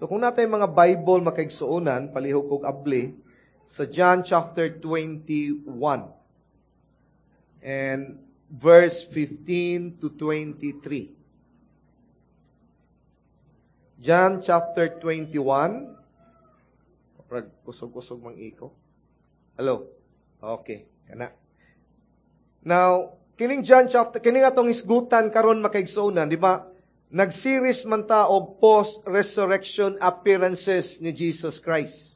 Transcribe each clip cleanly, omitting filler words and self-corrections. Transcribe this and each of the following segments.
So kung naa tay mga Bible, makaigsuonan, palihog kog abli sa John chapter 21 and verse 15 to 23. John chapter 21. Prag kusog-kusog mang iko. Hello. Okay, kana. Now, kining John chapter, kining atong isgutan karon, makaigsuonan, di ba? Nag-series man ta og post-resurrection appearances ni Jesus Christ.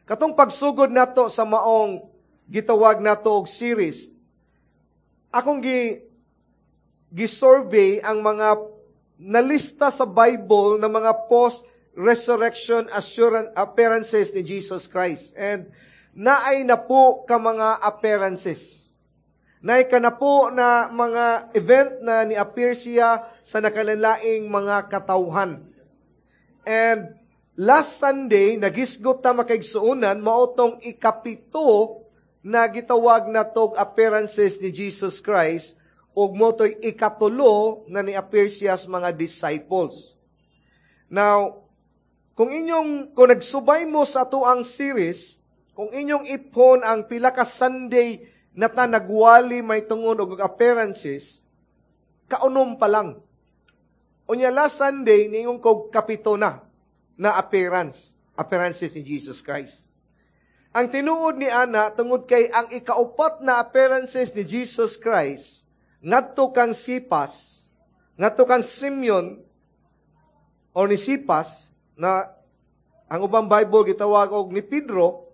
Katong pagsugod nato sa maong gitawag nato og series, akong gi-survey ang mga nalista sa Bible na mga post-resurrection assurance appearances ni Jesus Christ. And naay napo ka mga appearances. Naay kanapo na mga event na ni-appear siya sa nakalalaing mga katawhan. And last Sunday, nagisgot ta, makaigsuonan, mao tong ikapito na gitawag na tog appearances ni Jesus Christ ug mao to'y ikatulo na ni-appear siya sa mga disciples. Now, kung nagsubay mo sa atoang series, kung inyong ipon ang pila ka Sunday na ta nagwali may tungod og appearances, kaunom pa lang. Unya last Sunday, niingon kog kapito na na appearances ni Jesus Christ. Ang tinuod ni ana, tungod kay ang ikaupat na appearances ni Jesus Christ, ngadto kang Sipas, ngadto kang Simeon, o ni Sipas, na ang ubang Bible gitawag og ni Pedro,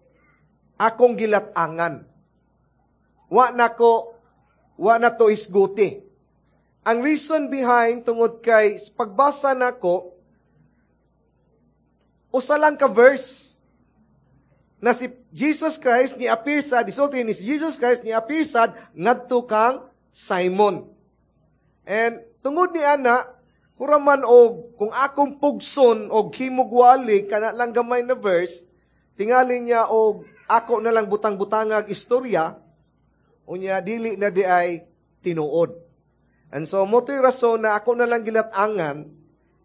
akong gilat-angan. Wa na to isguti. Ang reason behind, tungod kay pagbasa nako, usa lang ka verse na si Jesus Christ ni appear sad, isulti ni si Jesus Christ ni appear sad ngadto kang Simon. And tungod ni ana, huraman og kung akong pugson og himugwali kana lang gamay na verse, tingali niya og ako na lang butang-butangag istorya, unya dili na diay tinuod. And so mao to'y rason na ako na lang gilat-angan,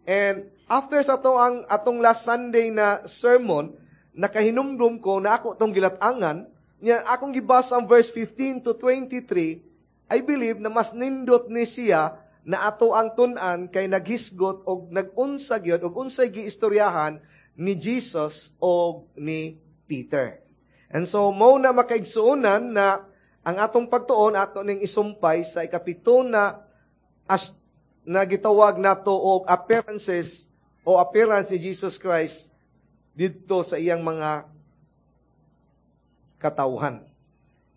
and after sa to ang atong last Sunday na sermon, nakahinumdum ko na ako tong gilat-angan, niya akong gibasa ang verse 15 to 23. I believe na mas nindot ni siya na ato ang tun-an kay naghisgot og nagunsa gyud og unsay giistoryahan ni Jesus og ni Peter. And so mao na, makaigsuonan, na ang atong pagtuon ato ning isumpay sa ikapito na as na gitawag nato og appearances o appearance ni Jesus Christ didto sa iyang mga katawhan.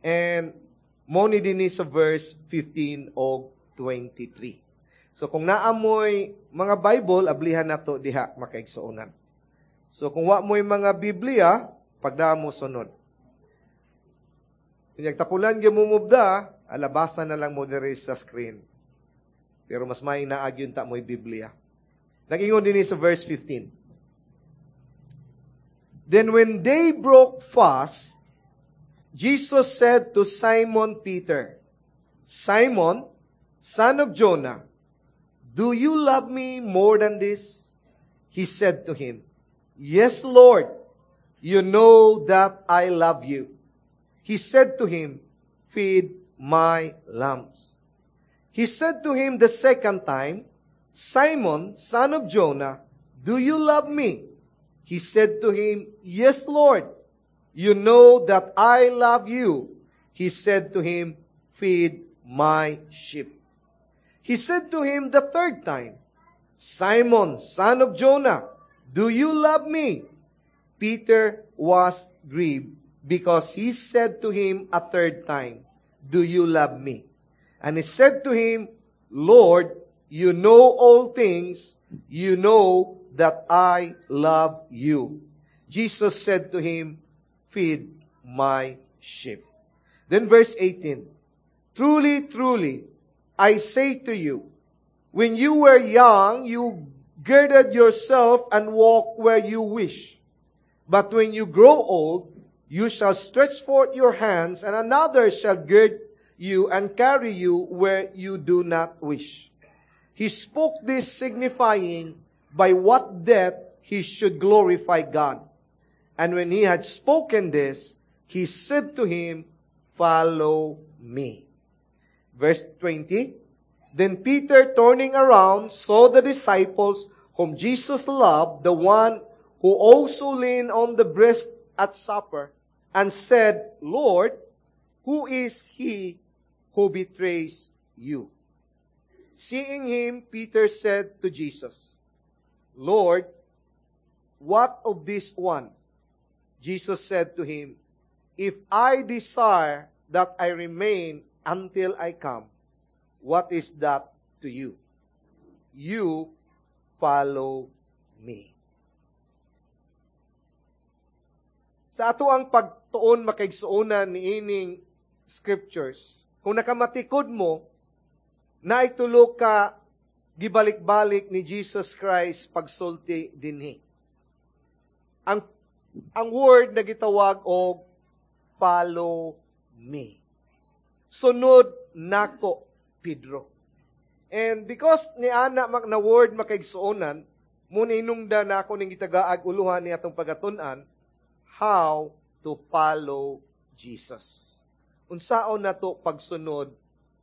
And mao ni dinhi sa verse 15 og 23. So kung naa moy mga Bible, ablihan nato diha, makaigsuonan. So kung wa mo'y mga Biblia, pagdaan mo sunod. Kung tapulan gyud mo mubda, alabasan na lang mo diri sa screen. Pero mas may naag yun ta mo'y Biblia. Nag-ingon din sa verse 15. "Then when they broke fast, Jesus said to Simon Peter, 'Simon, son of Jonah, do you love me more than this?' He said to him, 'Yes, Lord, you know that I love you.' He said to him, 'Feed my lambs.' He said to him the second time, 'Simon, son of Jonah, do you love me?' He said to him, 'Yes, Lord, you know that I love you.' He said to him, 'Feed my sheep.' He said to him the third time, 'Simon, son of Jonah, do you love me?' Peter was grieved because he said to him a third time, 'Do you love me?' And he said to him, 'Lord, you know all things. You know that I love you.' Jesus said to him, 'Feed my sheep.'" Then verse 18, "Truly, truly, I say to you, when you were young, you girded yourself and walked where you wish. But when you grow old, you shall stretch forth your hands, and another shall gird you and carry you where you do not wish." He spoke this signifying by what death he he should glorify God. And when he had spoken this, he said to him, "Follow me." Verse 20, Then Peter, turning around, saw the disciples whom Jesus loved, the one who also leaned on the breast at supper, and said, "Lord, who is he who betrays you?" Seeing him, Peter said to Jesus, "Lord, what of this one?" Jesus said to him, "If I desire that I remain until I come, what is that to you? You follow me." Sa ato ang pagtuon, makaigsuonan, ni ining scriptures, kung nakamatikod mo, naitulo ka gibalik-balik ni Jesus Christ pagsulti dinhi. Ang word na gitawag og "follow me." Sunod nako, Pedro. And because ni ana mak na word, makaigsuonan, mo hinungda na ako ning gitagaag uluhan ni atong pagatun-an, how to follow Jesus. Unsaon nato pagsunod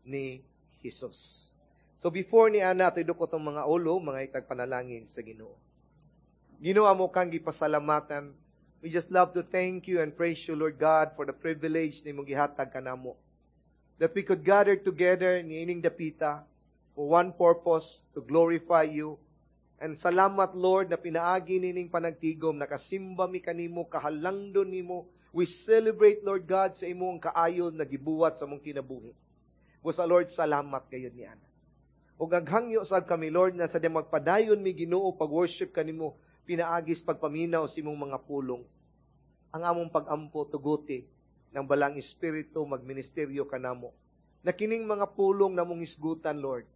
ni Jesus? So before ni ana ato idukot ang mga ulo, mga itag panalangin sa Ginoo. Ginoo, amo kang gipasalamatan. We just love to thank you and praise you, Lord God, for the privilege ni imong gihatag kanamo, that we could gather together ni ining dapita for one purpose, to glorify you. And salamat, Lord, na pinaagi nining panagtigom, nakasimba mi kanimo, kahalangdon nimo. We celebrate, Lord God, sa imong kaayon na gibuhat sa among kinabuhi. Busa, Lord, salamat gayud ni ana. Ug aghangyo sad kami, Lord, na sa di magpadayon mi, Ginoo, pag-worship kanimo, pinaagis pagpaminaw sa imong mga pulong. Ang among pag-ampo, tuguti ng Balaang Espiritu magministeryo kanamo. Na kining mga pulong namong isgutan, Lord,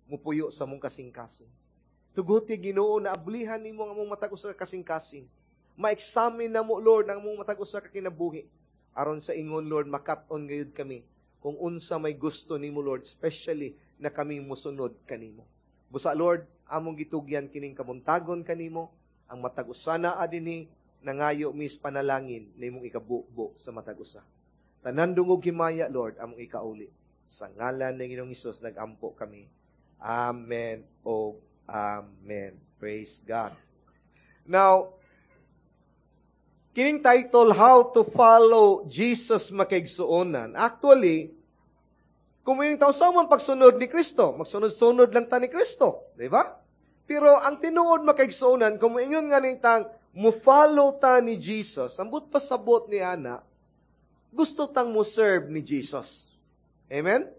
mupuyo sa among kasing-kasing. Tuguti, Ginoo, na ablihan nimo ang among matag usa ka kasing-kasing. Ma-examine namo, Lord, ang among matag usa ka kinabuhi. Aron sa ingon, Lord, makat-on gayud kami kung unsa may gusto nimo, Lord, especially na kami musunod kanimo. Busa, Lord, among gitugyan kining kabuntagon kanimo, ang matag usa na adini nangayo mis panalangin na imong ikabubo sa matag usa. Tanan dungog himaya, Lord, among ikauli. Sa ngalan ng Ginoong Hesus nagampo kami. Amen o amen. Praise God. Now, kining title, How to Follow Jesus, makaigsuonan. Actually, kung yung tao sa man pagsunod ni Kristo, magsunod-sunod lang ta ni Kristo, di ba? Pero ang tinuod, makaigsuonan, kung ingon nga ning tang mo follow ta ni Jesus, ambot pasabot ni ana, gusto tang mo serve ni Jesus. Amen?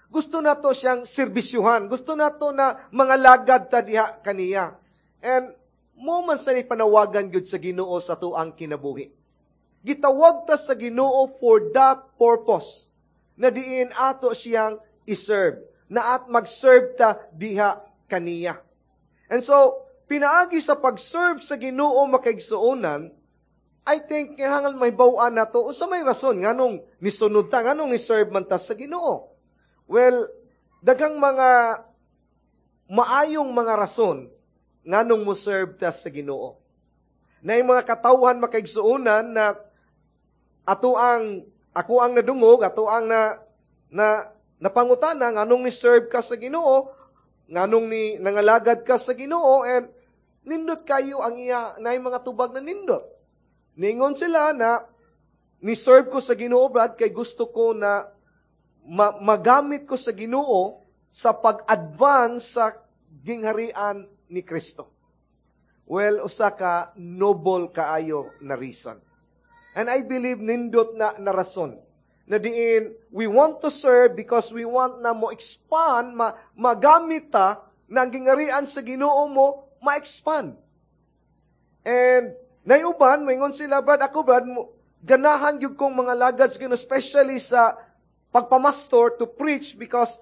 Gusto nato siyang serbisyuhan. Gusto nato na mga lagad ta diha kaniya. And mo man sa ni panawagan gyud sa Ginoo sa tuang kinabuhi. Gitawag ta sa Ginoo for that purpose. Na diin ato siyang iserve. Na at mag-serve ta diha kaniya. And so, pinaagi sa pag-serve sa Ginoo, makaigsuonan, I think kinahanglan may bawaan nato unsa may rason nganong nisunod ta, nganong ni-serve man ta sa Ginoo. Well, daghang mga maayong mga rason nganong mo serve ta sa Ginoo. Na yung mga katawhan, makaigsuonan, na ato ang ako ang nadungog, ato ang na na napangutana nganong ni serve ka sa Ginoo, nganong ni nangalagad ka sa Ginoo, and nindot kayo ang iya na mga tubag na nindot. Ningon sila na ni serve ko sa Ginoo, Brad, kay gusto ko na magamit ko sa Ginoo sa pag-advance sa gingharian ni Kristo. Well, usa ka noble kaayo na reason. And I believe nindot na na rason. Na diin, we want to serve because we want na mo expand, magamit ta na ang gingharian sa Ginoo mo, ma-expand. And naiuban, maingon sila, "Brad, ako Brad, ganahan gyud kong mga lagad sa Ginoo, especially sa pagpamastor, to preach, because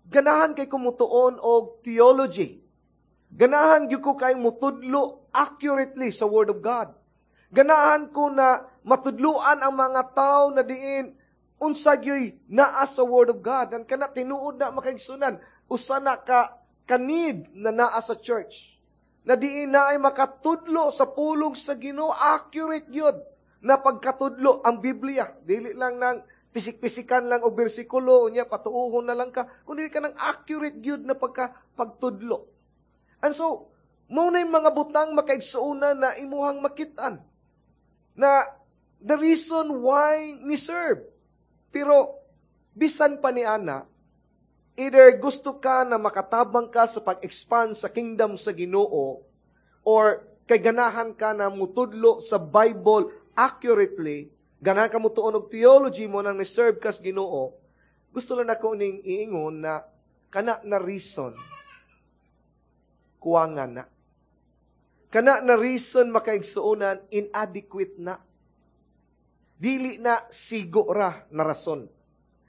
ganahan kay kumutuon og theology. Ganahan gyud ko kay mutudlo accurately sa Word of God. Ganahan ko na matudluan ang mga tao na diin unsa gyuy naa sa Word of God." And kana tinuod na, makaigsunan, usa na ka kanid na naa sa church. Na diin na ay makatudlo sa pulong sa Ginoo, accurate gyud na pagkatudlo ang Biblia. Dili lang nang pisik-pisikan lang o bersikulo, unya patuuhon na lang ka, kundi ka nang accurate gyud na pagtudlo. And so, mao na yung mga butang, makaigsuonan, na imuhang makitaan na the reason why ni serve. Pero, bisan pa ni ana, either gusto ka na makatabang ka sa pag-expand sa kingdom sa Ginoo or kay ganahan ka na mutudlo sa Bible accurately, ganahan ka mutuon og theology mo nang ni-serve ka sa Ginoo, gusto lang nako ning iingon na kana na reason, kuwangan na. Kana na reason, makaigsuonan, inadequate na. Dili na sigo ra na rason.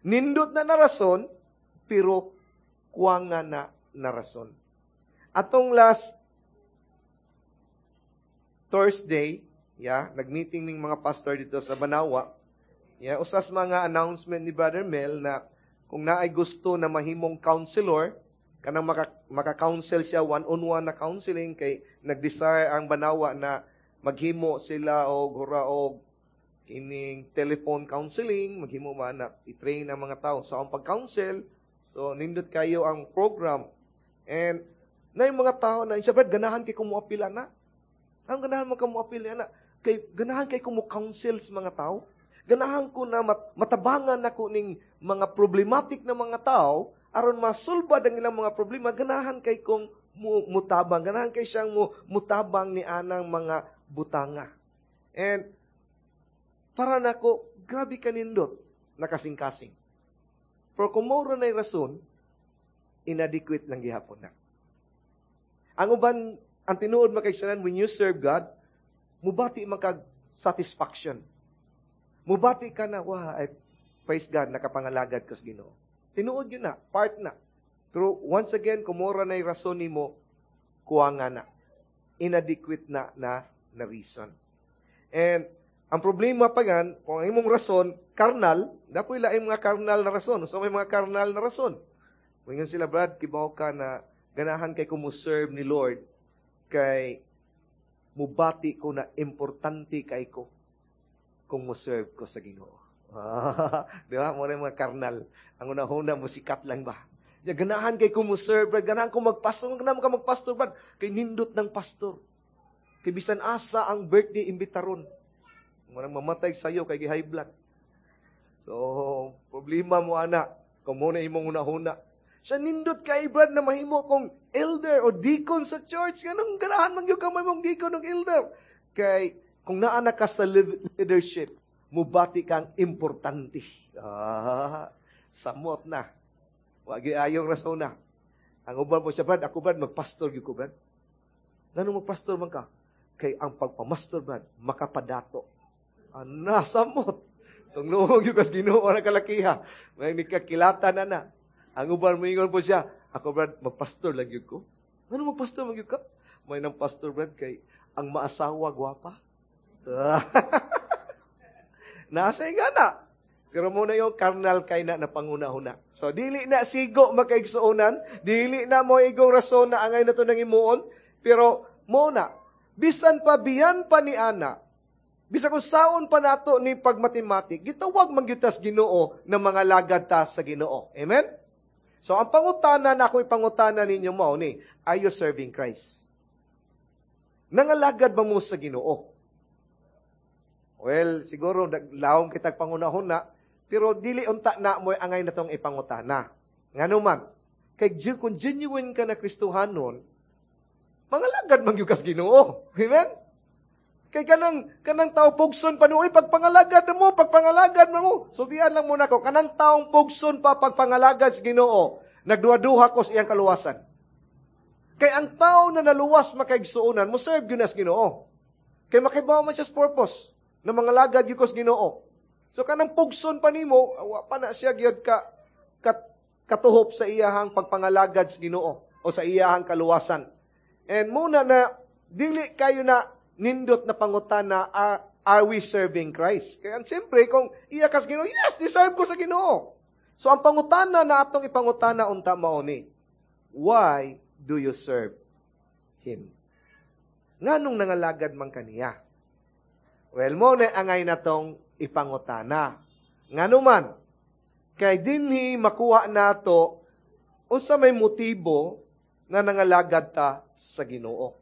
Nindot na na rason, pero kuwangan na na rason. Atong last Thursday, yeah, nag-meeting ning mga pastor dito sa Banawa. Yeah, usas mga announcement ni Brother Mel na kung naay gusto na mahimong counselor, kanang maka-counsel siya one-on-one na counseling, kay nag-desire ang Banawa na maghimo sila og hura og kining telephone counseling, maghimo man na i-train ang mga tao sa ang pag-counsel. So nindot kayo ang program. And na yung mga tao na siya, "Brad, ganahan kay kumuapila na." Ang ganahan mo ka muapila na? Kay ganahan kay ko mo-counsel sa mga tao. Ganahan ko na matabangan nako ning mga problematic na mga tao aron masulbad ang ilang mga problema. Ganahan kay kong mutabang. Ganahan kay siyang mutabang ni anang mga butanga. And para nako, grabe kanindot nakasing-kasing. Pero kung mao na rason, inadequate lang gihapon na. Ang uban, ang tinuod, makaigsuonan, when you serve God, mubati man kag satisfaction. Mubati ka na, "Wow, ay, praise God, nakapangalagad ka sa Ginoo." Tinuod yun na, part na. Pero once again, kung mao ra na rason nimo, kuwanga na. Inadequate na na, na reason. And ang problema pa gan, kung ang imong rason, carnal, dapoy laing mga carnal na rason. So may mga carnal na rason. Kung sila, "Brad, kibaw ka na ganahan kay ko serve ni Lord, kay mubati ko na importante kay ko kung mo-serve ko sa Ginoo." Di ba? Mo mga carnal. Ang una-una, musikat lang ba? Ya, "Ganahan kay ko mo-serve, Brad. Ganahan ko magpastor. Ganahan ka magpastor, Brad. Kay nindot ng pastor. Kay bisan asa ang birthday, imbitaron." Manang mamatay sa'yo kay gi-high blood. So, problema mo ana. Kung mo na imong una-una. Siya, "Nindot kay, Brad, na mahimo kong elder o deacon sa church. Ganong ganahan man gyud ka mahimong deacon o elder. Kay kung naa na ka sa leadership, mubati kang importante." Ah, samot na. Wagi ayong rason na. Ang uban po siya, "Brad, ako, Brad, magpastor gyud ko, Brad." "Ngano magpastor man ka?" "Kay ang pagpamastor, Brad, makapadato." Ana, samot. Tungluhog yung kas Ginoo na kalakiha. May nikakilata na na. Ang uban moingon po siya, "Ako, Brad, magpastor lang yun ko." "Ano, magpastor man gyud ka?" "May nang pastor, Brad, kay ang maasawa gwapa." Nasa nga na. Pero muna yung carnal kay na napanguna-huna. So, dili na sigo, makaigsuonan, dili na mo igong rason na angay na to nang imuon, pero mo na, bisan pa biyan pa ni ana, bisan kung saon pa nato ni pagmatematik, gitawag man gyud tas Ginoo na mga lagad ta sa Ginoo. Amen? So, ang pangutana na ako ipangutana ninyo mao ni, are you serving Christ? Nangalagad ba mo sa Ginoo? Well, siguro lawom kitag pangunahon na, pero dili unta na mo angay na tong ipangutana. Ngano man, kay kung genuine ka na Kristohanon, mangalagad man gyud kas Ginoo. Amen? Kay kanang tao pugson pa nuoy pagpangalagad mo, pagpangalagad mo. Sultian lang muna ko, kanang taong pugson pa pagpangalagad sa Ginoo, nagduha-duha ko sa iyang kaluwasan. Kay ang tao na naluwas, makaigsuonan, mo serve gyud sa Ginoo. Kay makibaw man siya sa purpose na mangalagad gyud ko sa Ginoo. So kanang pugson pa nimo, wa pa na siya gyud ka katuhop sa iyahang pagpangalagad sa Ginoo o sa iyahang kaluwasan. And muna na dili kayo na nindot na pangutana, are we serving Christ? Kaya siyempre, kung iya ka sa Ginoo, yes, deserve ko sa Ginoo. So ang pangutana na atong ipangutana unta mao ni, why do you serve Him? Nganong nangalagad man kaniya? Well, mao na angay natong ipangutana. Ngano man, kay dinhi makuha nato unsa may motibo na nangalagad ta sa Ginoo.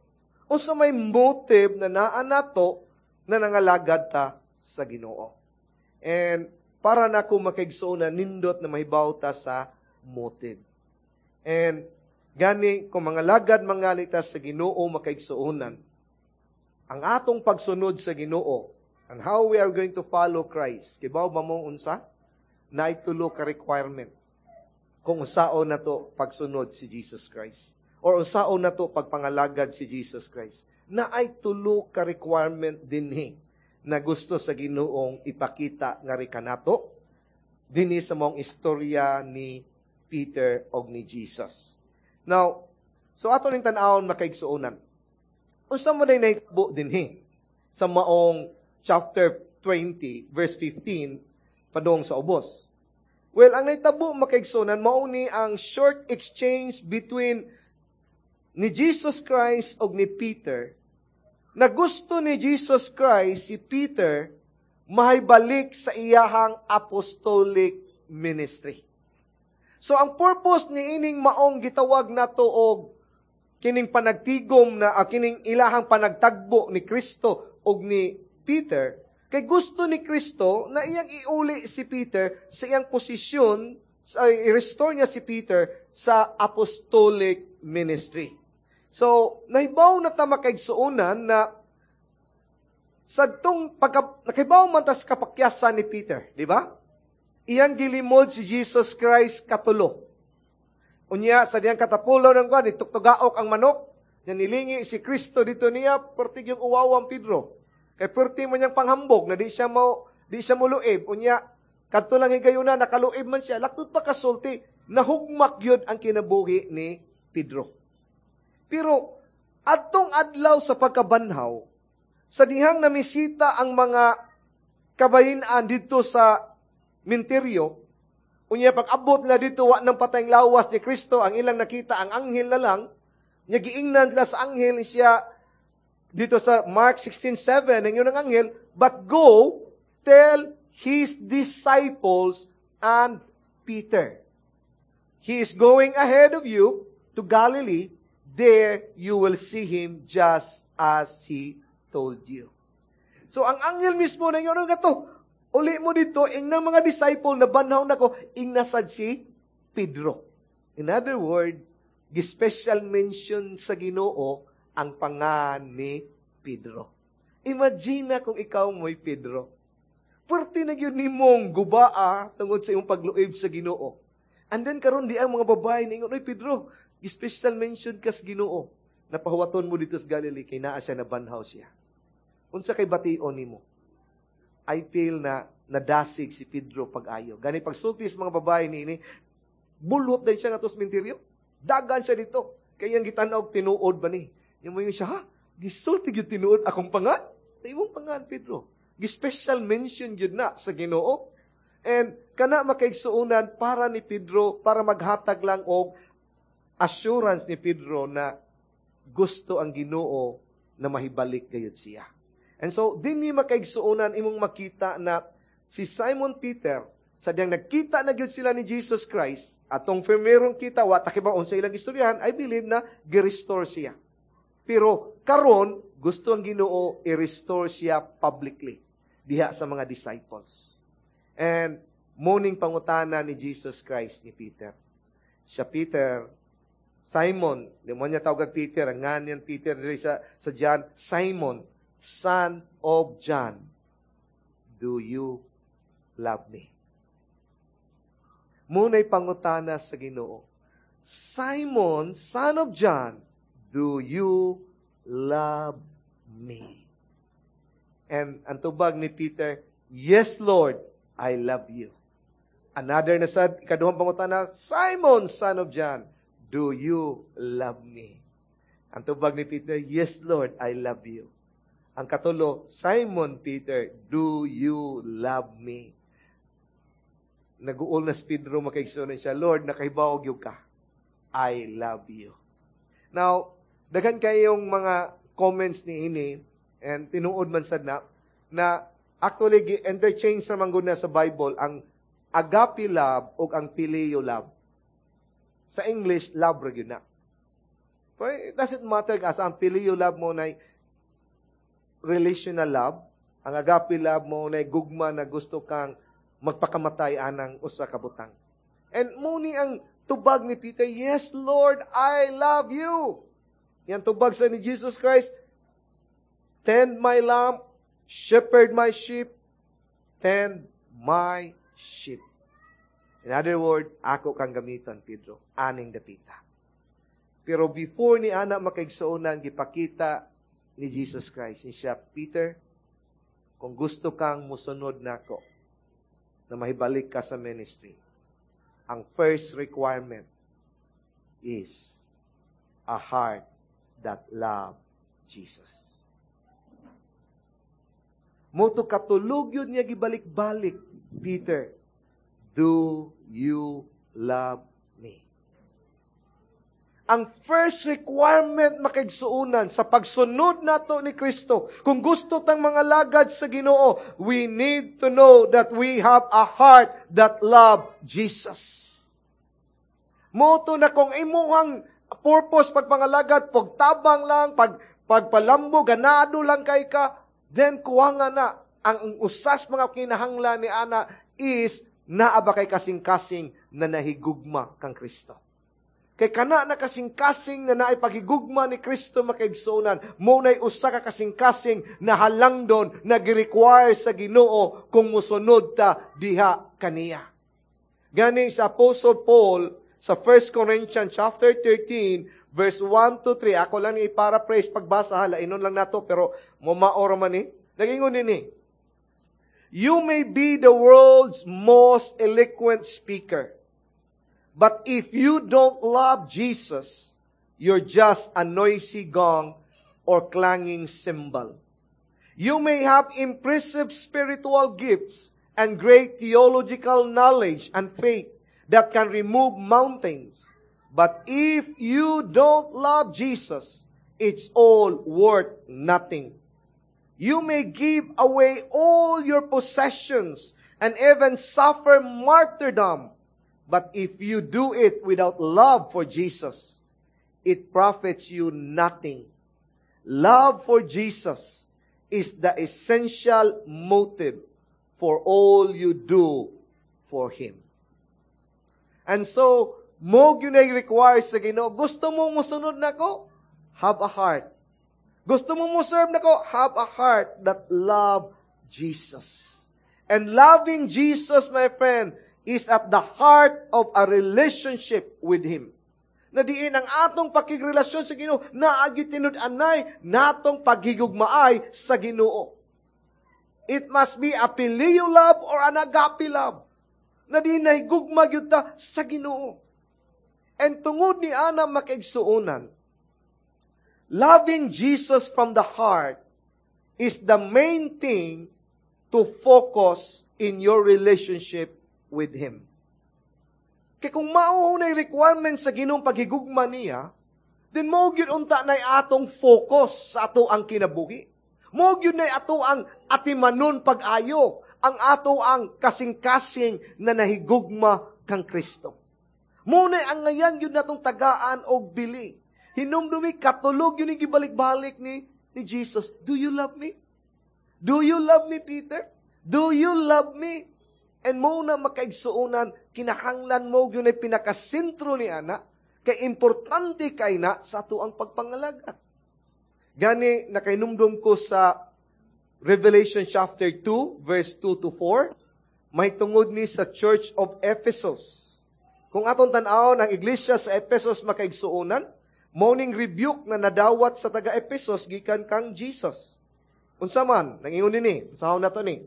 Unsa may motive na naa nato na nangalagad ta sa Ginoo. And para nako, makaigsoon, nindot na mahibaw ta sa motive. And gani kung mangalagad mangali ta sa Ginoo, makaigsuonan, ang atong pagsunod sa Ginoo and how we are going to follow Christ, kibaw ba mo unsa? Naay tulo ka requirement kung unsaon nato pagsunod si Jesus Christ or unsaon nato pagpangalagad si Jesus Christ. Naay tulo ka requirement dinhi na gusto sa Ginoong ipakita nga kanato dinhi sa maong istorya ni Peter og ni Jesus. Now, so ato ning tan-awon, makaigsuonan. Unsa man day nahitabo dinhi sa maong chapter 20 verse 15 padung sa ubos? Well, ang nahitabo, makaigsuonan, mao ni ang short exchange between ni Jesus Christ og ni Peter na gusto ni Jesus Christ si Peter mahibalik sa iyahang apostolic ministry. So ang purpose ni ining maong gitawag nato og kining panagtigom na kining ilahang panagtagbo ni Kristo og ni Peter, kay gusto ni Kristo na iyang iuli si Peter sa iyang posisyon, sa i-restore niya si Peter sa apostolic ministry. So, nahibaw na ta, makaigsuonan, na sadtong pagka, nakibaw man tas kapakyasan ni Peter, di ba? Iyang gilimod si Jesus Christ katulo. Unya, sa diyang katapulo ng kwan, ituktugaok ang manok, niya nilingi si Kristo dito niya, pertig yung uwawang Pedro. Kay perti man niyang panghambog, na di siya muluib. Unya, kadto lang higayuna, nakaluib man siya. Laktod pa kasulti, nahugmak yun ang kinabuhi ni Pedro. Pero, adtong adlaw sa pagkabanhaw, sa dihang namisita ang mga kabahinan dito sa minteryo, unya pag-abot nila dito, wa ng patayng lawas ni Kristo, ang ilang nakita, ang anghel na lang. Nya giingnan nila sa anghel siya dito sa Mark 16:7, ang yun ang anghel, "But go, tell his disciples and Peter. He is going ahead of you to Galilee. There you will see him just as he told you." So ang anghel mismo na yun, nga to, uli mo dito, ingna mga disciple na banhaw na ko, ingna sad si Pedro. In other word, special mention sa Ginoo ang pangan ni Pedro. Imagine na kung ikaw mo'y Pedro. Pwerte na gyud nimong gubaa tungod sa imong pagluib sa Ginoo. And then karon di ang mga babae ningon, "Oy Pedro, special mention ka sa Ginoo. Napahuwaton mo dito sa Galilee kay naa siya, nabanhaw siya." Unsa kay bation nimo? I feel na nadasig si Pedro pag-ayo. Gani pagsulti sa mga babae niini, bulot din siya nga sa minteryo. Dagan siya dito. Kay iyang gitan-aw, tinuod ba ni? Yung mo siya, "Ha? Gisulti gyud tinuod akong pangan?" Sa imong pangan, Pedro. Gi-special mention gyud na sa Ginoo. And kana, makaigsuonan, para ni Pedro, para maghatag lang og assurance ni Pedro na gusto ang Ginoo na mahibalik gayud siya. And so, dinhi, makaigsuonan, imong makita na si Simon Peter, sa diyang nagkita na gyud sila ni Jesus Christ, atong firmerong kita, wa ta kibaw unsa ilang istoryahan, I believe na gi-restore siya. Pero karon gusto ang Ginoo i-restore siya publicly diha sa mga disciples. And mao ning pangutana ni Jesus Christ ni Peter. Siya, "Peter, Simon," di mo niya tawag Peter, ang nganyan Peter diri sa John, "Simon, son of John, do you love me?" Mao na'y pangutana sa Ginoo. "Simon, son of John, do you love me?" And ang tubag ni Peter, "Yes, Lord, I love you." Another na sad, ikaduhang pangutana, "Simon, son of John, do you love me?" Ang tubag ni Peter, "Yes, Lord, I love you." Ang katulo, "Simon Peter, do you love me?" Naguol na si Pedro, makaigsoon siya, "Lord, nakahibaw gyud ka. I love you." Now, daghan kayong mga comments ni ini and tinuod man sad na na actually interchange naman gud na sa Bible ang agape love ug ang phileo love. Sa English, love ra gyud na. Pero it doesn't matter asa ang phileo love mo na relational love, ang agape love mo na gugma na gusto kang magpakamatay anang usa ka butang. And mo ni ang tubag ni Peter, "Yes, Lord, I love you." Yan tubag sa ni Jesus Christ, "Tend my lamb, shepherd my sheep, tend my sheep." In other words, ako kang gamiton, Pedro, aning dapita. Pero before ni ana, makaigsuonan, gipakita ni Jesus Christ ni siya, "Peter, kung gusto kang musunod nako, na mahibalik ka sa ministry, ang first requirement is a heart that love Jesus." Mao to katulog yun niya gibalik-balik, "Peter, do you love me?" Ang first requirement, makaigsuunan, sa pagsunod nato ni Kristo, kung gusto tang mangalagad sa Ginoo, we need to know that we have a heart that love Jesus. Mao to na kung imuhang purpose pagpangalagad, pagtabang lang, pagpalambo, ganado lang kay ka, then kuha nga na, ang usas mga kinahanglan ni ana is naa ba kay kasing-kasing na nahigugma kang Kristo. Kay kana na kasing-kasing na naay paghigugma ni Kristo, makaigsuonan, mo nay usa ka kasing-kasing na halangdon na gi-require sa Ginoo kung musunod ta diha kaniya. Gani sa Apostle Paul sa 1 Corinthians chapter 13 verse 1 to 3, ako lang i-paraphrase pagbasa hala, inon lang nato pero mo man ni. Nagingon nini, "You may be the world's most eloquent speaker, but if you don't love Jesus, you're just a noisy gong or clanging cymbal. You may have impressive spiritual gifts and great theological knowledge and faith that can remove mountains. But if you don't love Jesus, it's all worth nothing. You may give away all your possessions and even suffer martyrdom. But if you do it without love for Jesus, it profits you nothing. Love for Jesus is the essential motive for all you do for Him." And so, mo gyud require sa Ginoo, gusto mo musunod nako? Have a heart. Gusto mo mo serve nako? Have a heart that love Jesus. And loving Jesus, my friend, is at the heart of a relationship with Him. Na diin ang atong pakigrelasyon sa Ginoo, naagi tinud-anay natong paghigugmaay sa Ginoo. It must be a phileo love or an agape love. Na diin nahigugma gyud ta sa Ginoo. And tungod ni ana, makaigsuonan, loving Jesus from the heart is the main thing to focus in your relationship with Him. Kay kung mao na requirement sa Ginoong paghigugma niya, then mo gyud unta na atong focus sa ato ang kinabuhi. Mo gyud na ato ang atimanon pag-ayo, ang ato ang kasing-kasing na nahigugma kang Kristo. Mo na ang ngayan gyud natong tagaan og bili. Hinumdumi katulog yun gibalik-balik ni Jesus. "Do you love me? Do you love me, Peter? Do you love me?" And mo na, makaigsuonan, kinahanglan mo yun ay pinakasentro ni ana, kay importante kay na sa ato ang pagpangalagat. Gani, nakainumdum ko sa Revelation chapter 2, verse 2 to 4, may tungod ni sa Church of Ephesus. Kung atong tan-awon ang iglesia sa Ephesus, makaigsuonan, mao ning rebuke na nadawat sa taga Ephesus gikan kang Jesus. Unsa man, nangingon ni, basahon nato ni.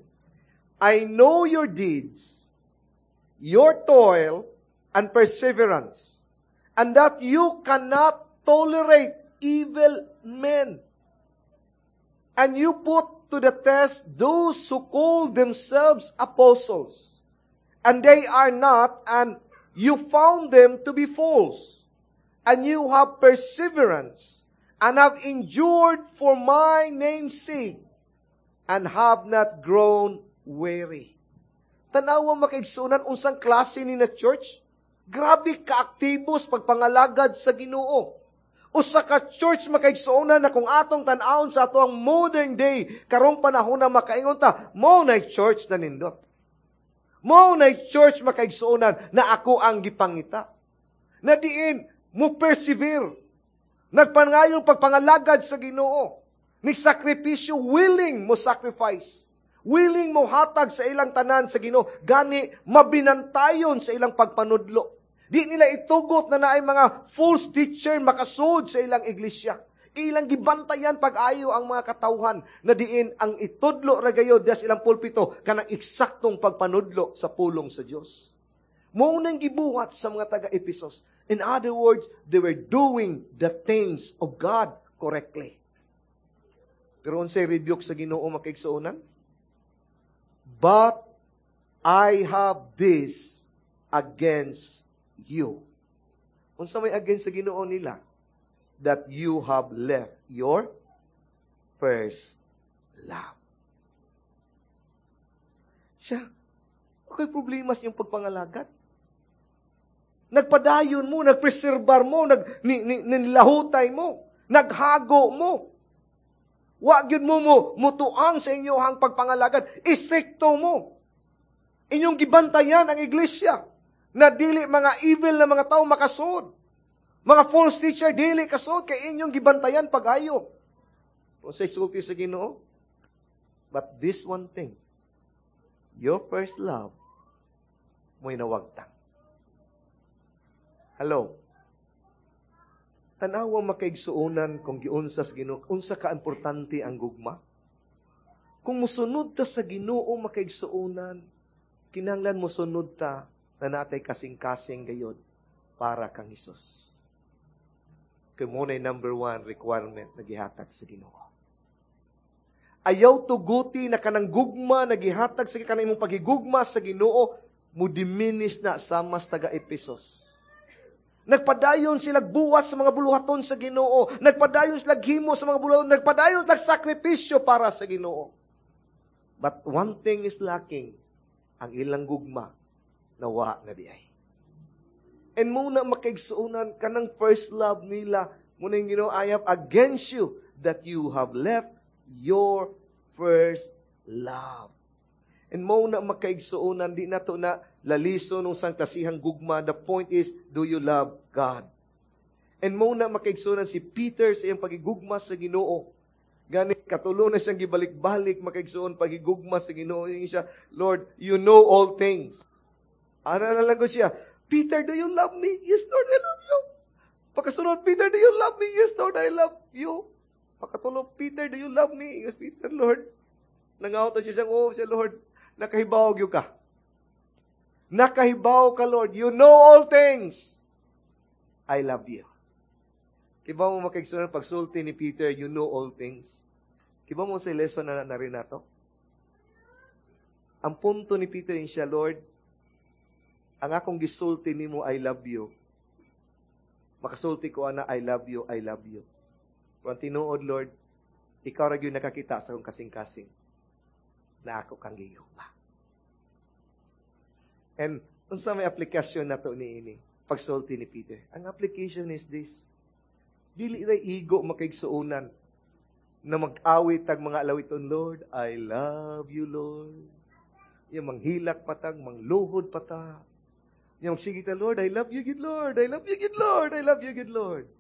"I know your deeds, your toil, and perseverance, and that you cannot tolerate evil men. And you put to the test those who call themselves apostles, and they are not, and you found them to be false. And you have perseverance, and have endured for my name's sake, and have not grown weary." Tanawa, makaigsunan, unsang klase ni na church? Grabe kaaktibo sa pagpangalagad sa Ginoo. Usa ka church, makaigsuonan, na kung atong tan-awon sa ato ang modern day, karong panahon na, makaingon ta, "Mao na church na nindot. Mao na church, makaigsuonan, na ako ang gipangita." Na diin mo persevere. Nagpangayon pagpangalagad sa Ginoo. Ni sakripisyo, willing mo sacrifice. Willing mo hatag sa ilang tanan sa Ginoo. Gani mabinantayon sa ilang pagpanudlo. Di nila itugot na naay mga false teacher makasud sa ilang iglesia. Ilang gibantayan pag-ayo ang mga katawhan na diin ang itudlo ra gayod sa ilang pulpito kanang eksaktong pagpanudlo sa pulong sa Dios. Mao nang gibuhat sa mga taga-Ephesus. In other words, they were doing the things of God correctly. Pero unsay rebuke sa Ginoo, makaigsuonan? "But I have this against you." Unsa may against sa Ginoo nila? "That you have left your first love." Siya, okay, problema sa inyong pagpangalagad. Nagpadayon mo, nagpreserbar mo, nilahutay mo, naghago mo. Wa gyud mo mutuang sa inyohang pagpangalagad. Istrikto mo. Inyong gibantayan ang iglesia na dili mga evil na mga tao makasud. Mga false teacher dili kasud kay inyong gibantayan pag-ayo. Unsay sulti sa Ginoo? "But this one thing, your first love mo'y nawagtang." Hello. Tanawa, makaigsuonan, kung giunsa sa Ginoo, unsa ka importante ang gugma. Kung musunod ta sa Ginoo, makaigsuonan, kinahanglan musunod ta na natay kasing-kasing gayod para kang Hesus. Kay mao na number one requirement na gihatag sa Ginoo. Ayaw tuguti na kanang gugma na gihatag sa kanang imong pagigugma sa Ginoo mo diminish na sama sa taga Ephesus. Nagpadayon sila buhat sa mga buluhaton sa Ginoo. Nagpadayon sila himo sa mga buluhaton. Nagpadayon sila sakripisyo para sa Ginoo. But one thing is lacking, ang ilang gugma nawa na diay. And mao na, makaigsuonan, kanang first love nila, mao na yung Ginoo, "I have against you that you have left your first love." And mao na, makaigsuonan, di na to na laliso nung sang klasihang gugma. The point is, do you love God? And mao na, makaigsuonan, si Peter sa iyang pagigugma sa Ginoo. Gani katulo na siyang gibalik-balik, makaigsuon, pagigugma sa Ginoo. Ingon siya, "Lord, you know all things." Ano na lang ko siya, "Peter, do you love me?" "Yes, Lord, I love you." Pagkasunod, "Peter, do you love me?" "Yes, Lord, I love you." Pagkatulo, "Peter, do you love me?" "Yes, Peter, Lord." Nangawat siya siyang, "Oh, siya, Lord, nakahibaw gyud ka. Nakahibaw ka, Lord. You know all things. I love you." Kibaw mo, makaigsuonan, pagsulti ni Peter, "You know all things." Kibaw mo sa lesson na na rin nato? Ang punto ni Peter yun siya, "Lord, ang akong gisulti nimo, 'I love you.' Makasulti ko ana, 'I love you, I love you.' Pero ang tinuod, Lord, ikaw ra gyud nakakita sa akong kasing-kasing na ako kang gihigugma." And unsa may aplikasyon nato niini? Pagsulti ni Peter. Ang application is this. Dili ra igo, makaigsuonan, na mag-awit tag mga alawiton, "Lord, I love you, Lord." Yung manghilak patag, mangluhod pata. Yung magsige ta, "Lord, I love you, good Lord. I love you, good Lord. I love you, good Lord."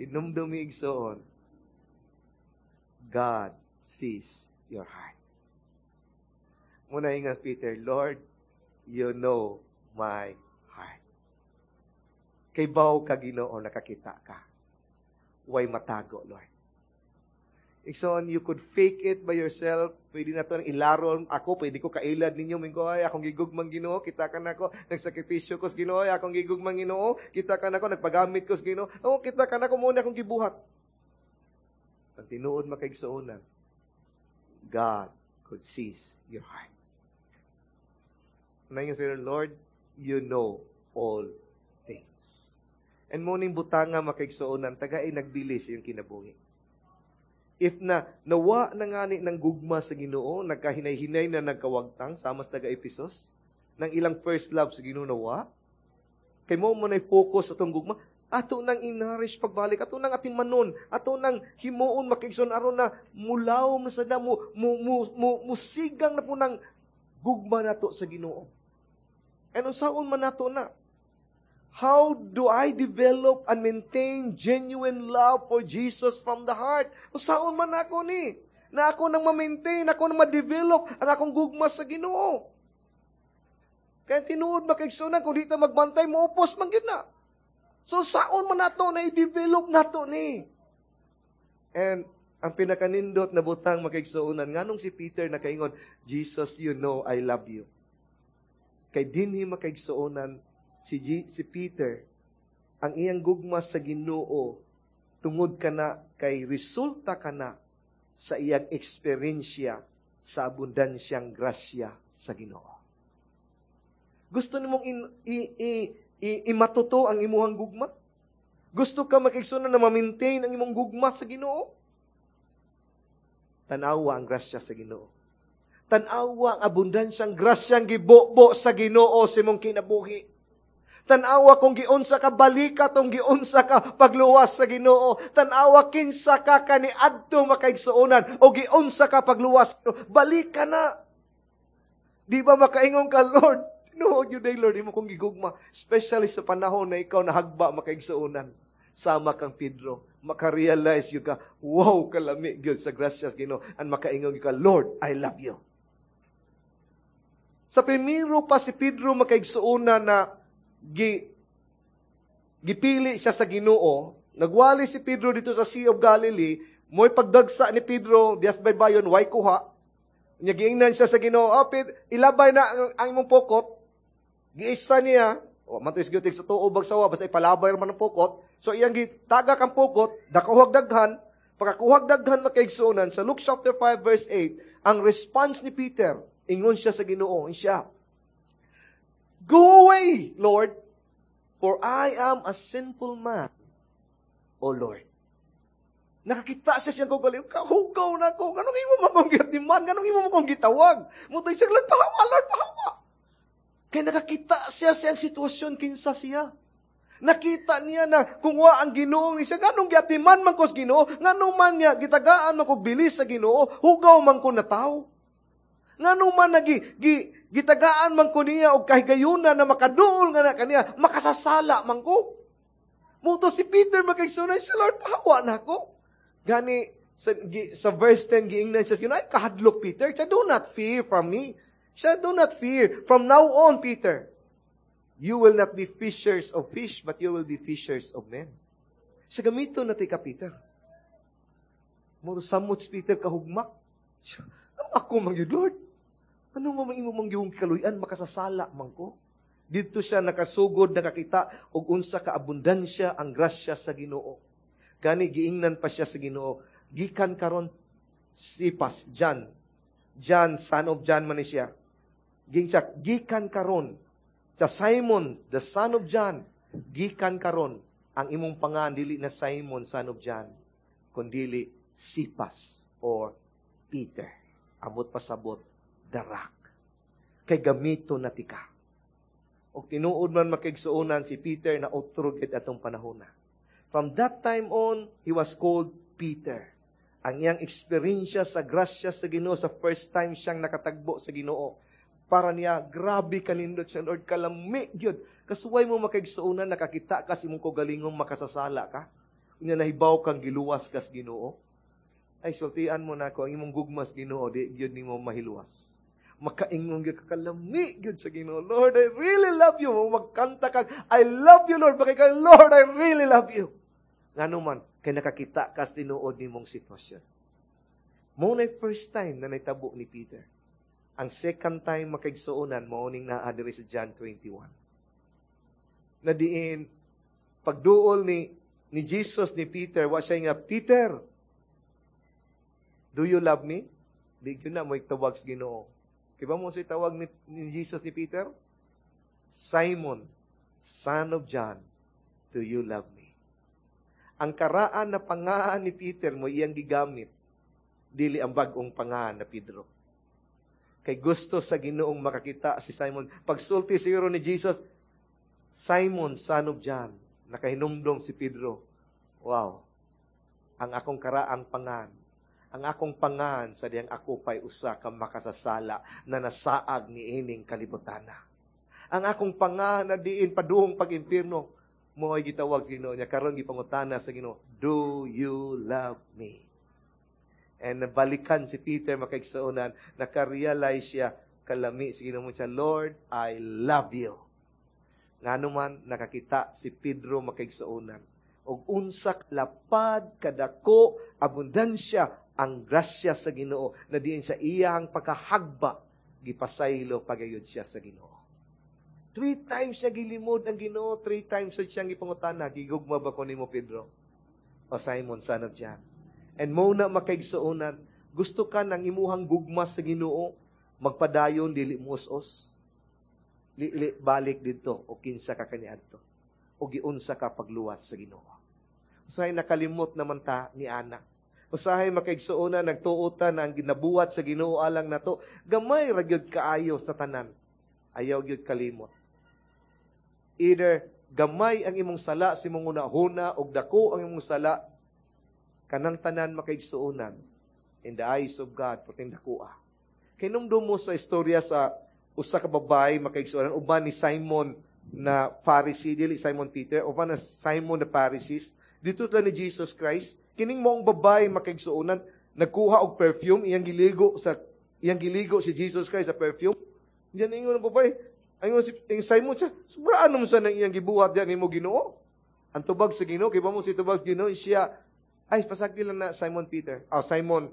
Hinumdumi, igsoon, God sees your heart. Mao na ingon Peter, "Lord, you know my heart." Kaybaw ka, Ginoo, nakakita ka. Way matago, Lord. Igsoon, you could fake it by yourself. Pwede na ito ilaron. Ako, pwede ko kailad ninyo. Mingo, "Ay, akong gigugmang Ginoo. Kita ka na ako. Nagsakripisyo ko sa Ginoo. Ay, akong gigugmang Ginoo. Kita ka na ako. Nagpagamit ko sa Ginoo. Oh, kita ka na ako. Mao na akong gibuhat." Ang tinuod, makaigsuonan, God could seize your heart. Ngayon, "Lord, you know all things." And mao ning butanga, makaigsuonan, tagay nagbili sa iyong kinabuhi. If na nawa na ngani ng gugma sa Ginoo, nagkahinay-hinay na nagkawagtang sama sa taga Ephesus, nang ilang first love sa Ginoo nawa, kay mao mo na focus sa atong gugma, ato nang i-nourish pagbalik, ato nang atimanon, ato nang himuon, makaigsoon, aron na mulaw mo sa mo, mo, mo, mo, musigang na po ng gugma nato sa Ginoo. And unsaon man nato na? How do I develop and maintain genuine love for Jesus from the heart? Unsaon man ako ni? Na ako nang ma-maintain, ako nang ma-develop ang akong gugma sa Ginoo. Kaya tinuod, makaigsunan, kung di ta magbantay, moupos man gyud na. So saon man nato na i-develop nato ni? And ang pinakanindot na butang, makaigsuonan, nganong si Peter nakaingon, "Jesus, you know I love you"? Kay dinhi, makaigsuonan, si Peter, ang iyang gugma sa Ginoo tungod kana kay resulta kana sa iyang eksperyensya sa abundansyang grasya sa Ginoo. Gusto nimong in, i, i, i, imatuto ang imuhang gugma? Gusto ka, makaigsuonan, na ma-maintain ang imong gugma sa Ginoo? Tanawa ang grasya sa Ginoo. Tanawa ang abundansyang grasyang gibobo sa Ginoo sa imong kinabuhi. Tanawa kung giunsa ka balikat, kung giunsa ka pagluwas sa Ginoo. Tanawa kinsa ka kaniadto, makaigsuonan, o giunsa ka pagluwas. Balik ka na. Di ba makaingon ka, "Lord, no, yun day, Lord, imo kong gigugma"? Especially sa panahon na ikaw nahagba, makaigsuonan. Sama kang Pedro, makarealize yun ka, wow, kalami gyud sa grasyas Ginoo. And makaingon ka, "Lord, I love you." Sa primero pa si Pedro, makaigsuonan, na gipili siya sa Ginoo, nagwali si Pedro dito sa Sea of Galilee, mo'y pagdagsa ni Pedro, dias baybayon, way kuha. Nya giingnan siya sa Ginoo, "Oh, Pedro, ilabay na ang imong pukot." Giisa niya, oh, matuis gyud sa tuo bagsawa, basta ipalabay man ang pukot. So iyang gitaga kang pukot, nakakuhag daghan, pagkakuhag daghan, makaigsuonan, sa Luke chapter 5 verse 8, ang response ni Peter, ingon siya sa Ginoo, siya, "Go away, Lord, for I am a sinful man, O Lord." Nakakita siya siyang kaugalingon, kahugaw na ko, nganong imo man kong gitiman, nganong imo man kong gitawag? Mutay siya, "Lord, pahawa, Lord, pahawa." Kaya nakakita siya siyang sitwasyon, kinsa siya. Nakita niya na kung wa ang Ginoo siya, nganong giatiman man ko sa Ginoo, nganong man niya gitagaan man ko bilis sa Ginoo, hugaw man ko na tao. Nganong man gitagaan man ko niya og kahigayunan na makaduol nga na kaniya, makasasala man ko. Muto si Peter, makaigsunan siya, "Lord, pahawa na ako." Gani, sa verse 10, giingnan siya, "Ay, kahadlok, Peter." Siya, "Do not fear from me." Siya, "Do not fear. From now on, Peter, you will not be fishers of fish, but you will be fishers of men." Siya, "Gamito na ka, Peter." Mo samot si Peter kahugmak. Siya, "Ako man yun, Lord? Ano man imo mang yung kaluyan, makasasala man ko?" Dito siya nakasugod, nakakita og unsa ka abundansya ang grasya sa Ginoo. Gani giingnan pa siya sa Ginoo, "Gikan karon, Sipas, John. John, son of John man ni siya. Ging siya, gikan karon, sa Simon, the son of John, gikan karon, ang imong pangan dili na Simon, son of John, kundili Sipas or Peter." Abot pasabot, the rock. Kay gamito na tika. Og tinuod man, makaigsuonan, si Peter na otro gid atong panahon na. From that time on, he was called Peter. Ang iyang eksperyensya sa grasya sa Ginoo sa first time siyang nakatagbo sa Ginoo. Para niya, grabe kanindot siya, "Lord, kalami gyud." Kasuway mo, makaigsuonan, nakakita ka sa imong kaugalingong makasasala ka. Unya nahibaw kang giluwas kas Ginoo. Ay, sultian mo na ko, ang imong gugmas Ginoo, di gyud nimo mahiluwas. Makaingon gyud ka, kalami gyud sa Ginoo. "Lord, I really love you." Magkanta ka, "I love you, Lord." Bakit ka, "Lord, I really love you." Ngano man, kay nakakita ka sa tinuod nimong sitwasyon. Mao na first time na naitabo ni Peter. Ang second time, makaigsuonan, mao ning naa diri sa John 21. Na diin, pagduol ni Jesus ni Peter, wa siya nga, "Peter, do you love me?" Di yun na mo tawag sa Ginoo. Kiba mo si tawag ni Jesus ni Peter? "Simon, son of John, Do you love me?" Ang karaan na pangalan ni Peter mo iyang gigamit, dili ang bag-ong pangalan na Pedro. Kay gusto sa Ginoong makakita si Simon. Pagsulti siguro ni Jesus, "Simon, son of John," nakahinumdom si Pedro. "Wow, ang akong karaang pangan, ang akong pangan sa diyang ako pa'y usa ka makasasala na nasaag ni ining kalibutana. Ang akong pangan na diin paduhong pag-impirno," mo ay gitawag sa Ginoo niya karon, gipangutana sa Ginoo, "Do you love me?" And nabalikan si Peter, makaigsuonan, naka-realize siya, kalami sa Ginoo mo siya, "Lord, I love you." Ngano man nakakita si Pedro, makaigsuonan, og unsa lapad, kadako, abundansya ang grasya sa Ginoo na diin sa iyang pagkahagba gipasaylo pagayod siya sa Ginoo. Three times siya gilimod ang Ginoo, three times siya siyang gipangutana, "Gigugma ba ko nimo, Pedro? O Simon, son of John?" And mo na, makaigsuonan, gusto ka ng imuhang gugma sa Ginoo magpadayon dili mo us-os. Li, balik dito o kinsa ka kaniadto o giunsa ka pagluwas sa Ginoo. Usahay nakalimot naman ta ni ana. Usahay, makaigsuonan, nagtuo ta na ang ginabuhat sa Ginoo alang nato gamay ra gyud kaayo sa tanan. Ayaw gyud kalimot. Either gamay ang imong sala sa imong hunahuna og dako ang imong sala, kanang tanan, makaigsuonan, in the eyes of God perting dakoa. Kay mo sa istorya sa usa ka babae, makaigsuonan, uban ni Simon na Pharisee, dili Simon Peter, uban na Simon the Pharisees, dito ta ni Jesus Christ, kining moong babae, makaigsuonan, nagkuha og perfume, iyang giligo si Jesus Christ sa perfume. Diyan ingon ang babae, ingon si ing Simon siya, "Sobraan naman sa nang iyang gibuhat diyan nimo, Ginoo." Ang tubag sa Ginoo, kay mo si tubag sa Ginoo siya, "Ay, pasagdi lang na, Simon Peter, oh, Simon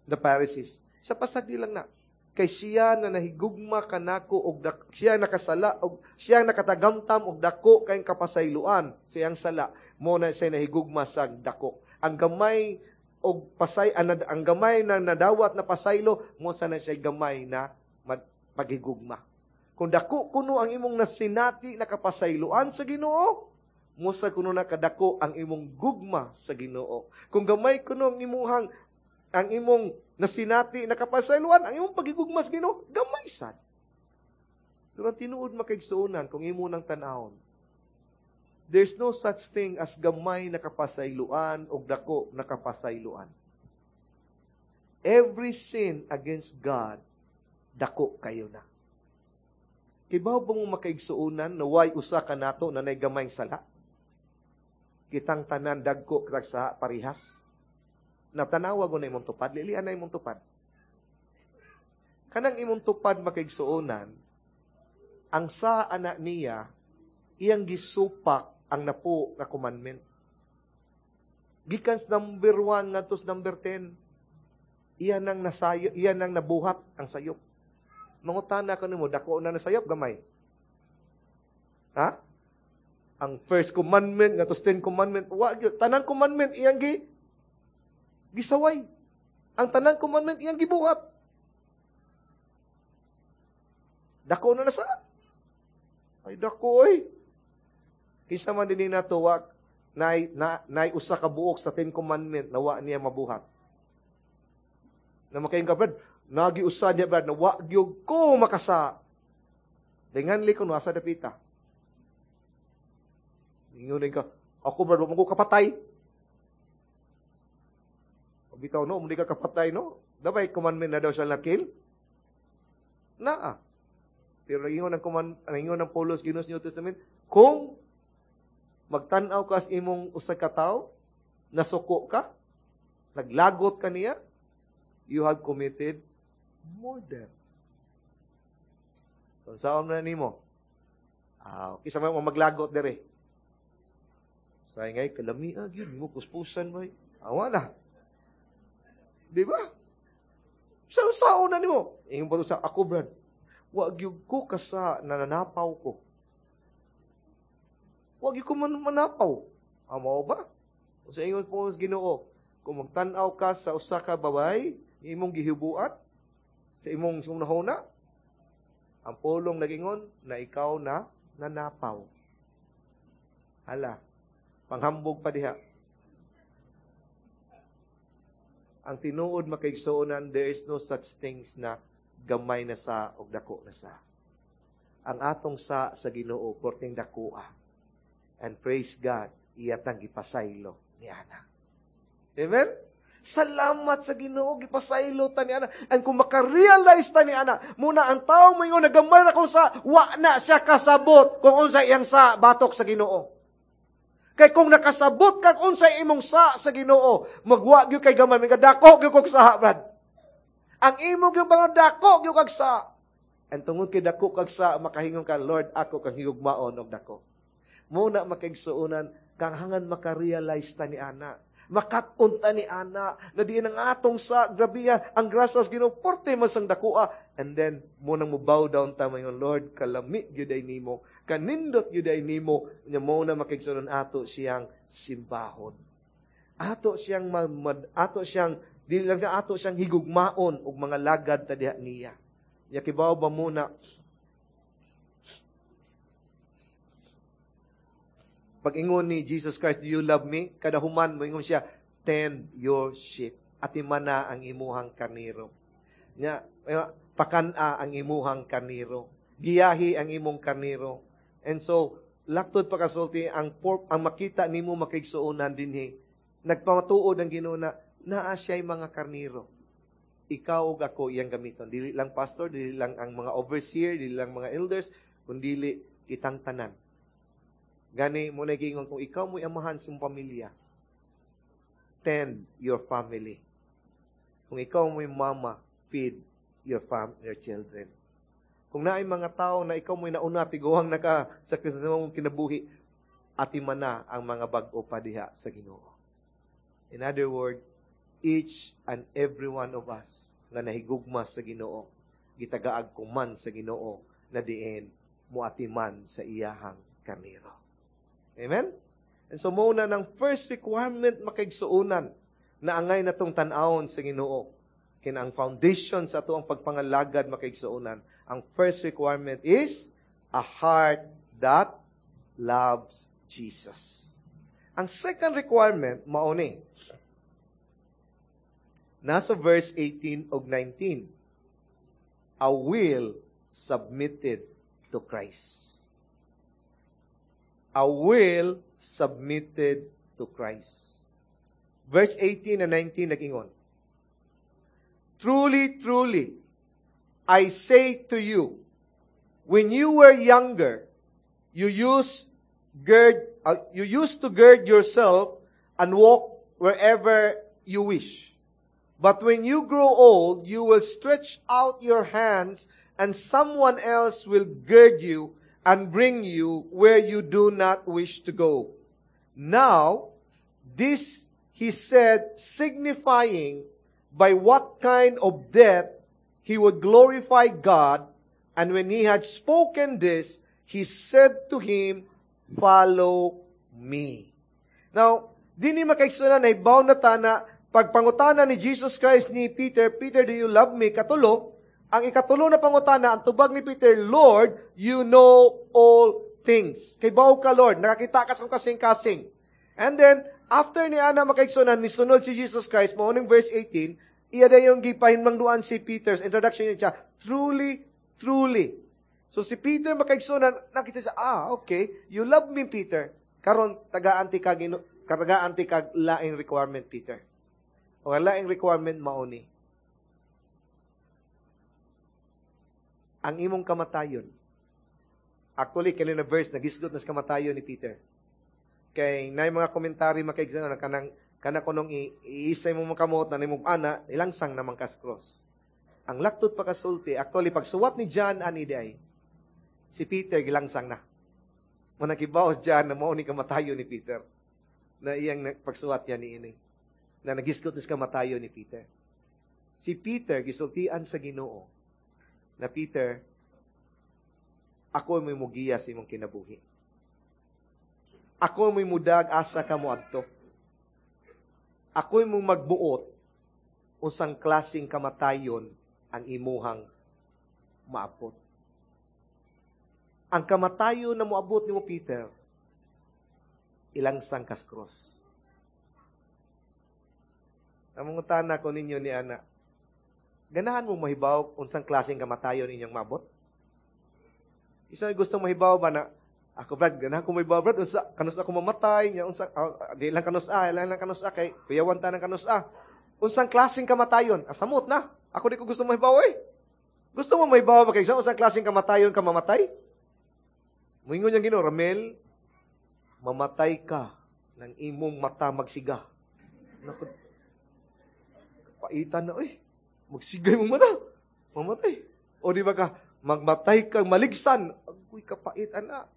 the Pharisees." Sa pasagdi lang na. Kay siya na nahigugma kanako og siya nakasala og siya nakatagamtam og dako kay kapasayloan sa iyang sala, mo na siya nahigugma sa dako. Ang gamay og pasay ang gamay na nadawat na pasaylo mo sa na siya gamay na paghigugma. Kung dako kuno ang imong nasinati na kapasayloan sa Ginoo, musa kuno na kadako ang imong gugma sa Ginoo. Kung gamay kuno ang imong nasinati na kapasayloan, ang imong pagigugma sa Ginoo gamay sad. Pero ang tinuod, makaigsuonan, kung imo nang tan-awon, there's no such thing as gamay na kapasayloan o dako na kapasayloan. Every sin against God, dako kayo na. Kibaw ba mo, makaigsuonan, na way usa ka nato na nay gamay sala? Kitang tanan dagko kag sa parihas. Natanawa ko na imong tupad, lilian na imong tupad. Kanang imong tupad, makaigsuonan, ang sa anak niya, iyang gisupak ang napo nga commandment. Gikan sa number 1 ngadto sa number 10, iyan ang nasayo, iyan ang nabuhat ang sayop. Mangutana ko nimo, dako na nasayop, gamay? Ha? Ang first commandment ngadto sa 10 commandment, wa gyud tanang commandment iyang gisaway. Ang tanang commandment iyang gibuhat. Dako na nasa. Ay, dako oy. Kinsa man dinhi nato wa nay usa ka buok sa Ten Commandment na wa niya mabuhat? Na makaingon ka, "Brad, nagi usa niya, Brad, na wa gyud ko makasa." Dinganli ko no asa dapita. Ingon ka, "Ako, Brad, wa mo ko kapatay." Bitaw no, hindi ka kapatay no. Dabay commandment na daw siya na kill? Naa. Pero nagingon ng Paulos Ginoo sa New Testament, kung magtan-aw ka sa imong usa ka tawo, nasuko ka, naglagot ka niya, you have committed murder. Kung saan na nimo? Ah, kinsa man mo maglagot dere? Sa ngay kalami gyud mo kuspusan mo. Ah, wala. Di ba? Sa sao na nimo? Ingon pa sa ako, "Brad. Wa gyud ko kasa nananapaw ko. Wa gyud ko man manapaw." Amo ba? Sa ingon po sa Ginoo, kung magtan-aw ka sa usa ka babay, imong gihibuat sa imong sunahuna, ang pulong nagingon na ikaw na nanapaw. Hala. Panghambog pa diha. Ang tinuod, makaigsuonan, there is no such things na gamay na sa o dako na sa. Ang atong sa sa Ginoo porting dakoa. And praise God, iya tang gipasaylo ni ana. Amen? Salamat sa Ginoo, gipasaylo ta ni ana. And kung makarealize ta ni ana, muna ang tao mo ingon nagamay na kung sa, wa na siya kasabot kung unsa iyang sa batok sa Ginoo. Kay kung nakasabot kag unsa imong sa Ginoo, magwa gyud kay gamay, may dako gyud kog sa, brad. Ang imo gyud mga dako gyud kag sa. And tungod kay dako kag sa, makahingon ka, "Lord, ako kang higugmaon og dako." Muna makaigsuonan, kang hangan makarealize ta ni ana. Makat-on ta ni ana, na diin ang atong sa, grabiya, ang grasas Ginoo, porte man sang dakoa. And then, munang mo bow down ta mayon, "Lord, kalami gyud ay nimo, kanindot gyud ay nimo," nya mo na makaigsuonan ato siyang simbahon. Ato siyang ato siyang dili lang siya, ato siyang higugmaon ug mga lagad ta diha niya. Nya kibaw ba muna pag-ingon ni Jesus Christ, "Do you love me?" Kada human moingon siya, "Tend your sheep." Atimana ang imuhang karniro. Nya pakan-a ang imuhang karniro. Giyahi ang imong karniro. And so, laktod pakasulti, ang makita nimo makaigsuonan dinhi, nagpamatuod ang Ginoo na naa siya'y mga karniro. Ikaw ug ako iyang gamiton. Dili lang pastor, dili lang ang mga overseer, dili lang mga elders, kundili kitang tanan. Gani mo na giingon kung ikaw mo'y amahan sa imong pamilya, tend your family. Kung ikaw mo'y mama, feed your children. Kung naay mga tao na ikaw mo'y nauna, tiguang naka sa mong kinabuhi, atiman na ang mga bag-o pa diha sa Ginoo. In other words, each and every one of us nga nahigugma sa Ginoo, gitagaag kuman sa Ginoo na diin muatiman sa iyahang karniro. Amen? And so muna ng first requirement makaigsuonan na angay na tong tan-awon sa Ginoo. Kina ang foundation sa ato ang pagpangalagad makaigsuonan. Ang first requirement is a heart that loves Jesus. Ang second requirement mao ni nasa verse 18 ug 19. A will submitted to Christ. A will submitted to Christ. Verse 18 and 19 nag-ingon, "Truly, truly, I say to you, when you were younger, you used to gird yourself and walk wherever you wish. But when you grow old, you will stretch out your hands and someone else will gird you and bring you where you do not wish to go." Now, this he said, signifying by what kind of death he would glorify God. And when he had spoken this, he said to him, "Follow me." Now, dini makaigsuonan nahibaw na ta na pagpangutana ni Jesus Christ ni Peter, "Peter, do you love me?" Katulo, ang ikatulo na pangutana, ang tubag ni Peter, "Lord, you know all things. Kay bawo ka, Lord, nakakita ka sa kasing-kasing." And then, after ni ana makaigsuonan, nisunod si Jesus Christ, mao ning verse 18, iya dayong gipahinmangduan si Peter's introduction niya, "Truly, truly." So si Peter makaigsuonan, nakita siya, "Ah, okay, you love me, Peter. Karon tagaan ti kag tagaan ti kag laing requirement, Peter. O ang laing requirement mao ni ang imong kamatayon." Actually, kani na verse nagisgot na sa kamatayon ni Peter. Kay naay mga komentary makaigsuonan kanang kana kunong iisay mo makamot na nimong ana, ilangsang naman kas cross. Ang laktod pakasulti, actually pagsuwat ni John ani di si Peter gilangsang na. Manakibaw John na mao ni kamatayon ni Peter. Na iyang pagsuwat niya ni ini. Na nagisgot ni sa kamatayon ni Peter. Si Peter gisultian sa Ginoo na, "Peter, ako mo'y mugiya sa imong kinabuhi. Ako mo'y mudag asa ka moadto. Ako'y mo magbuot unsang klaseng kamatayon ang imuhang maabot. Ang kamatayon na moabot nimo, Peter, Ilangsang kas cross. Ang mangutana ko ninyo ni ana, ganahan mo mahibaw unsang klaseng kamatayon inyong mabot? Isa gusto mahibaw ba na, ako Brad, ganahan ko mahibaw Brad, unsa kanus ako mamatay, nya unsa di lang kanus a, lang kanus a kay kuyawan ta ng kanus a. Unsang klaseng kamatayon? Asamot na. Ako di ko gusto mahibaw eh. Gusto mo mahibaw ba kay unsang klaseng kamatayon ka mamatay? Moingon niyang Ginoo, "Ramel, mamatay ka ng imong mata magsiga." Naku, paitan na, eh. Magsigay mong mata. Mamatay. O di ba ka, magmatay kang maligsan. Agoy, kapait, ana.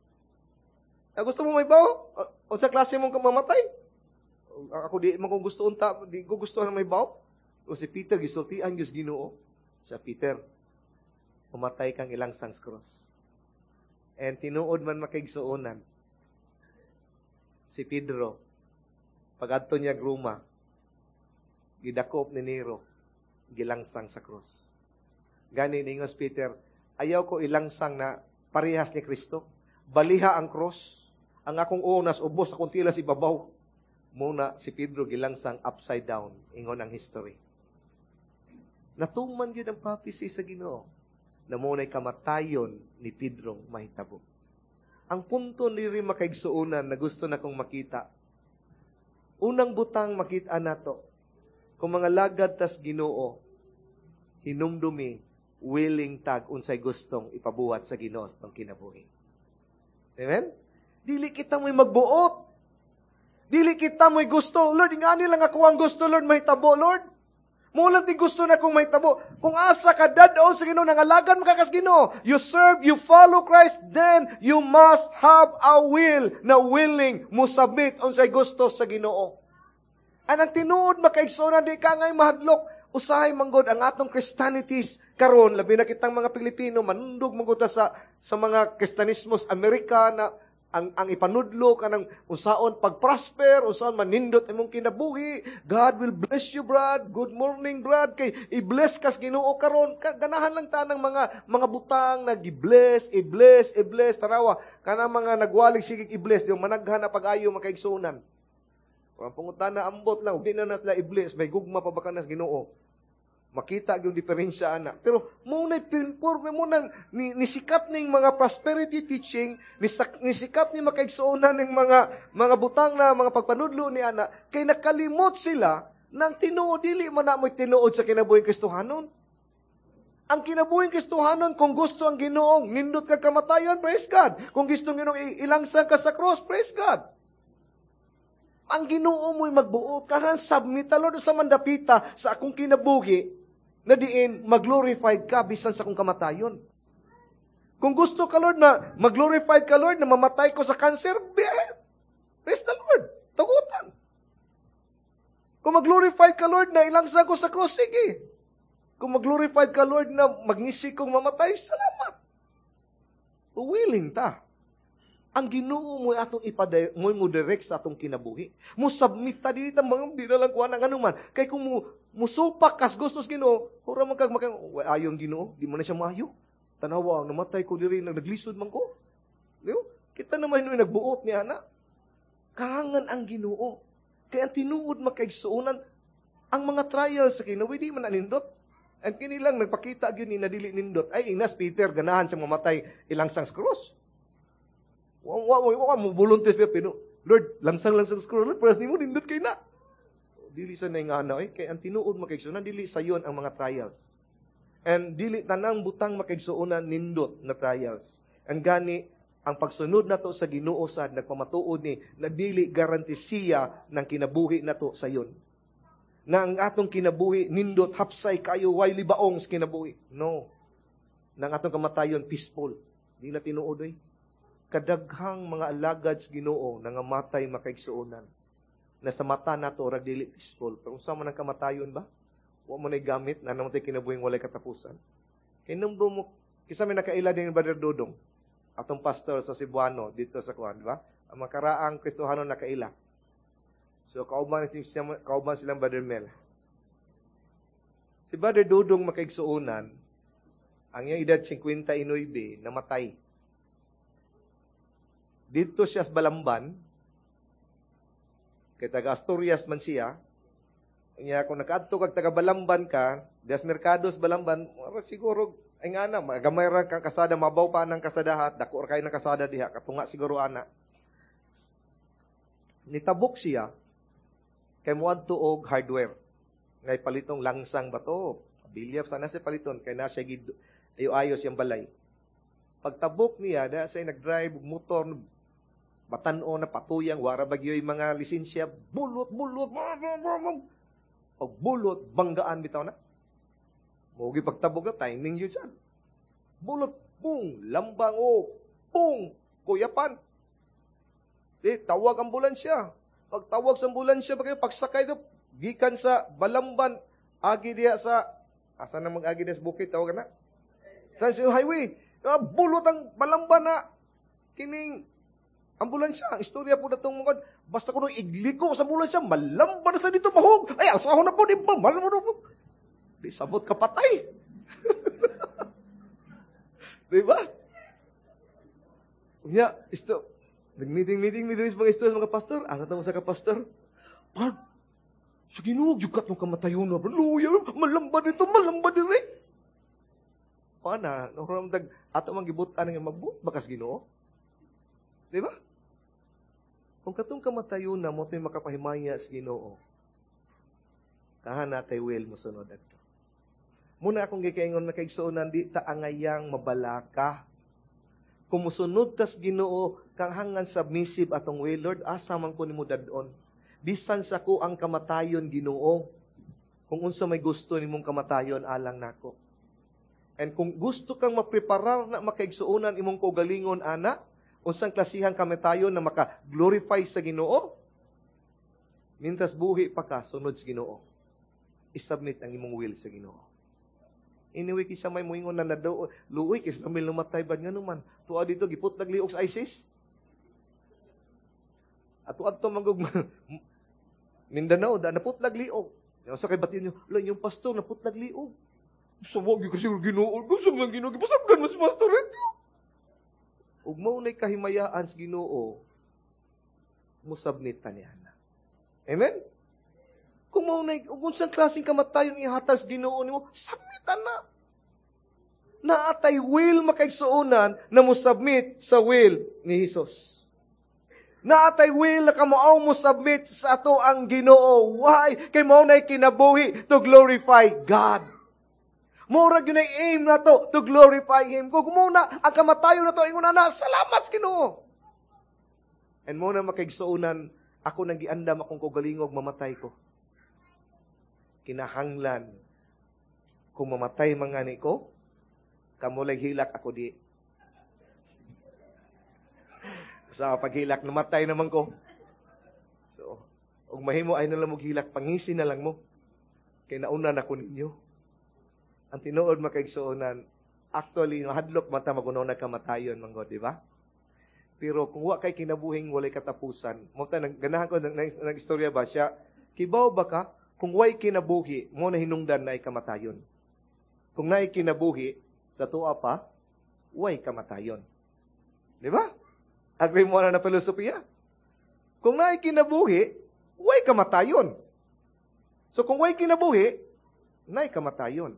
Ah, gusto mo mahibaw? Unsa klase mong mamatay? Ako di man kung gusto unta, di ko gusto na mahibaw. O si Peter, gisultian gyud Ginoo. Sa Peter, mamatay kang ilangsang cross. And tinuod man makaigsuonan, si Pedro, pagadto niya Roma, gidakop ni Nero, gilangsang sa cross. Gani ningos Peter, "Ayaw ko ilangsang na parehas ni Kristo. Baliha ang cross. Ang akong unas ubos, akong tilas ibabaw." Muna si Pedro gilangsang upside down, ingon ang history. Natuman yun ang prophecy sa Ginoo na muna'y kamatayon ni Pedro mahitabo. Ang punto ni rin makaigsuonan na gusto na kong makita. Unang butang makita nato, kung mga lagad tas Ginoo, hinumdumi, willing tag unsay gustong ipabuhat sa Ginoo sa kinabuhi. Amen? Dili kita mo'y magbuot. Dili kita mo'y gusto. "Lord, ingani lang ako ang gusto, Lord, mahitabo, Lord. Mo lang ti gusto na kung mahitabo." Kung asa ka dadon sa Ginoo, nangalagan mo ka kas Ginoo. You serve, you follow Christ, then you must have a will na willing mo submit unsay gusto sa Ginoo. Ang tinuod makaigsoon, di ka ngay mahadlok. Usahay manggod ang atong Christianities karon, labi na kitang mga Pilipino, manundog manggod sa mga Kristiyanismos Amerika na ang ipanudlo kanang unsaon pagprosper, unsaon manindot imong kinabuhi. "God will bless you, Brad. Good morning, Brad. Kay i-bless kas Ginoo karon." Ganahan lang ta ng mga butang na gi-bless, i-bless, i-bless. Tanawa, kanang mga nagwalig sige i-bless, di managhan na pag-ayo makaigsuonan. Kung ang pangutana ambot lang, di na natla i-bless, may gugma pa ba kanas Ginoo? Makita yung diferensya ana. Pero mo na pinpurme mo nang nisikat ning mga prosperity teaching, nisikat ni makaigsuonan ning mga butang na mga pagpanudlo ni ana, kay nakalimot sila nang tinuod dili man na mo'y tinuod sa kinabuhing Kristohanon. Ang kinabuhing Kristohanon, kung gusto ang Ginoong nindot ka kamatayon, praise God. Kung gusto ang Ginoong ilangsang ka sa cross, praise God. Ang Ginoo mo'y magbuot, kahan submit ta Lord sa mandapita sa akong kinabuhi, na diin mag-glorified ka bisan sa akong kamatayon. Kung gusto ka Lord na mag-glorified ka Lord na mamatay ko sa cancer, praise the Lord. Tugutan. Kung mag-glorified ka Lord na ilangsang ko sa cross, sige. Kung mag-glorified ka Lord na magnisi kong mamatay, salamat. Willing ta. Ang Ginoo mo atong ipaday mo mo direct sa atong kinabuhi. Mo submit ta dili ta mga di na lang kuha ng anuman. Kay kung mo musupak kas gustos Ginoo, hura man kag makang ayong Ginoo, di man na siya maayo. Tanawa, namatay ko diri, naglisod man ko. Di ba? Kita naman hinuoy nagbuot ni ana. Kahangan ang Ginoo. Kay ang tinuod makaigsuonan ang mga trials sa kinabuhi di man anindot. Ang kini lang nagpakita gyud ni na dili nindot. Ay ingnas Peter ganahan siya mamatay ilangsang sa cross. Wa wa wa mo volunteer pero "Lord, langsang lang sa cross, Lord, para nimo nindot kay na." Dili sa naingana eh kay ang tinuod makaigsuonan dili sayon ang mga trials. And dili tanang butang makaigsuonan nindot na trials. Ang gani ang pagsunod nato sa Ginoo sad nagpamatuod ni na dili garantisiya ng kinabuhi nato sayon. Na ang atong kinabuhi nindot hapsay kayo way libaong sa kinabuhi. No. Nang atong kamatayon peaceful. Di na tinuod oy. Kadaghang mga alagad sa Ginoo nangamatay makaigsuonan. Na sa mata nato rag dili peaceful. Pero unsa man ang kamatayon ba? Wa man ay gamit na namatay kinabuhing walay katapusan. Kay numdo mo kisa may nakaila din Brother Dodong, atong pastor sa Cebuano dito sa kuan, di ba? Ang makaraang Kristohano nakaila. So kauban silang Brother Mel. Si Brother Dodong makaigsuonan, ang iyang edad 59, namatay. Dito siya sa Balamban, Kay taga Asturias man siya. Nya kung nakaadto kag taga Balamban ka, dias Mercados Balamban, siguro ay nga na, gamay ra kang kasada, mabaw pa ng kasadahat, dako ra kay ng kasada diha, katunga siguro ana. Nitabok siya kay moadto og hardware. Ngay palitong langsang bato, bilyap sana siya paliton kay na siya gid ayo-ayos yung balay. Pagtabok niya, da siya nag-drive motor, batan-o na patuyang, wara bagyo'y mga lisensya, bulot, bulot, pag bulot, banggaan bitaw na. Mogi pagtabok na, timing yun siya. Bulot, pung, lambang, o, pung, kuyapan. Di, tawag ambulansya. Pagtawag sa ambulansya, ba kayo, pagsakay do, gikan sa Balamban, agi diya sa, asa na mag-agi diya sa bukid, tawag na? Sa highway. Bulot ang Balamban na, kining ambulansya. Ang istorya po na itong mga, basta ko nung igliko sa ambulansya, malamban na sa dito, mahog. Ay, asaho na po, di ba? Malamban na po. Di sabot ka patay. Di ba? Unya, isto, nag-meeting-meeting, meeting sa mga istorya, mga pastor. Ano tamo sa ka-pastor? Pag, sa Ginoo, yukat nung kamatayon na, luya, malamba dito, malamba diri. Pana, nung dag, ato mang gibutan nga magbut, bakas Ginoo. Di ba? Kung katong kamatayon na mo to'y makapahimaya sa Ginoo, kahana kay will mo sunod adto. Muna akong gikaingon na kaigsuonan, di ta angayang mabalaka. Kung musunod tas Ginoo, kang hangan submissive atong will, Lord, asa man ko nimo dadon. Bisan sa ko ang kamatayon, Ginoo. Kung unsa may gusto nimong kamatayon, alang nako. And kung gusto kang mapreparar na makaigsuonan imong kaugalingon, ana, unsang klasihang kamatayon na maka-glorify sa Ginoo, mintras buhi pa ka, sunod sa Ginoo. I-submit ang imong will sa Ginoo. Anyway, kisa may muingon na nado, luoy, kisa may lumatay ba nga naman. Tuwa dito, giput nagliok sa ISIS. Ato adto manggug Mindanao, da naputlag liog. Yung sa kay batin nyo, la yung pastor naputlag liog. Sa wag yung kasi Ginoo, gusto man Ginoo, gipasagdan mas pastor ito. Ug mao nay kahimayaan sa Ginoo, mo submit ta niya na. Amen? Kung mao nay ug unsang klaseng kamatayon ihatag sa Ginoo nimo, submit ta na. Naatay will makaigsuonan na mo submit sa will ni Hesus. Naatay will na kamao mo submit sa ato ang Ginoo. Why? Kay mao nay kinabuhi to glorify God. Mura gyud ay aim na to glorify Him. Kung muna ang kamatayon na to ingon na salamat sa Ginoo. And mo na makaigsuonan ako nang giandam akong kaugalingog mamatay ko. Kinahanglan kung mamatay man ngani ko, kamulay hilak ako di. Sa paghilak, namatay naman ko. So, ug mahimo ay nalang moghilak, pangisi na lang mo. Kay nauna na ko ninyo. Ang tinuod makaigsuonan, actually, mahadlok mata magunaw na kamatayon, manggod, di ba? Pero kung wa kay kinabuhing walay katapusan, mo ta ganahan ko nag istorya ba siya, kibaw ba ka kung way kinabuhi, mo na hinungdan na ay kamatayon. Kung naay kinabuhi, sa tuwa pa, way kamatayon. Di ba? Agree mo na na filosofiya? Kung naay kinabuhi, way kamatayon. So kung way kinabuhi, naay kamatayon.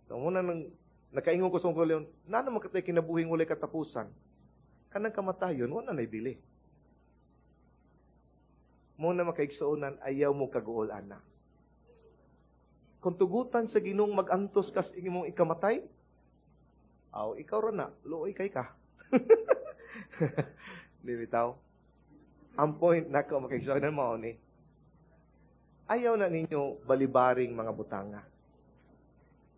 So muna nang nakaingon ko sa kong leon, na naman katay kinabuhing walay katapusan, kanang kamatayon, wala na ibili. Muna makaigsuonan, ayaw mo kaguol, ana. Kung tugutan sa Ginoong mag-antos kas imong ikamatay, aw, ikaw ra na, luoy kay ka. Di bitaw? Ang point nako makaigsuonan mao ni, ayaw na ninyo balibaring mga butanga.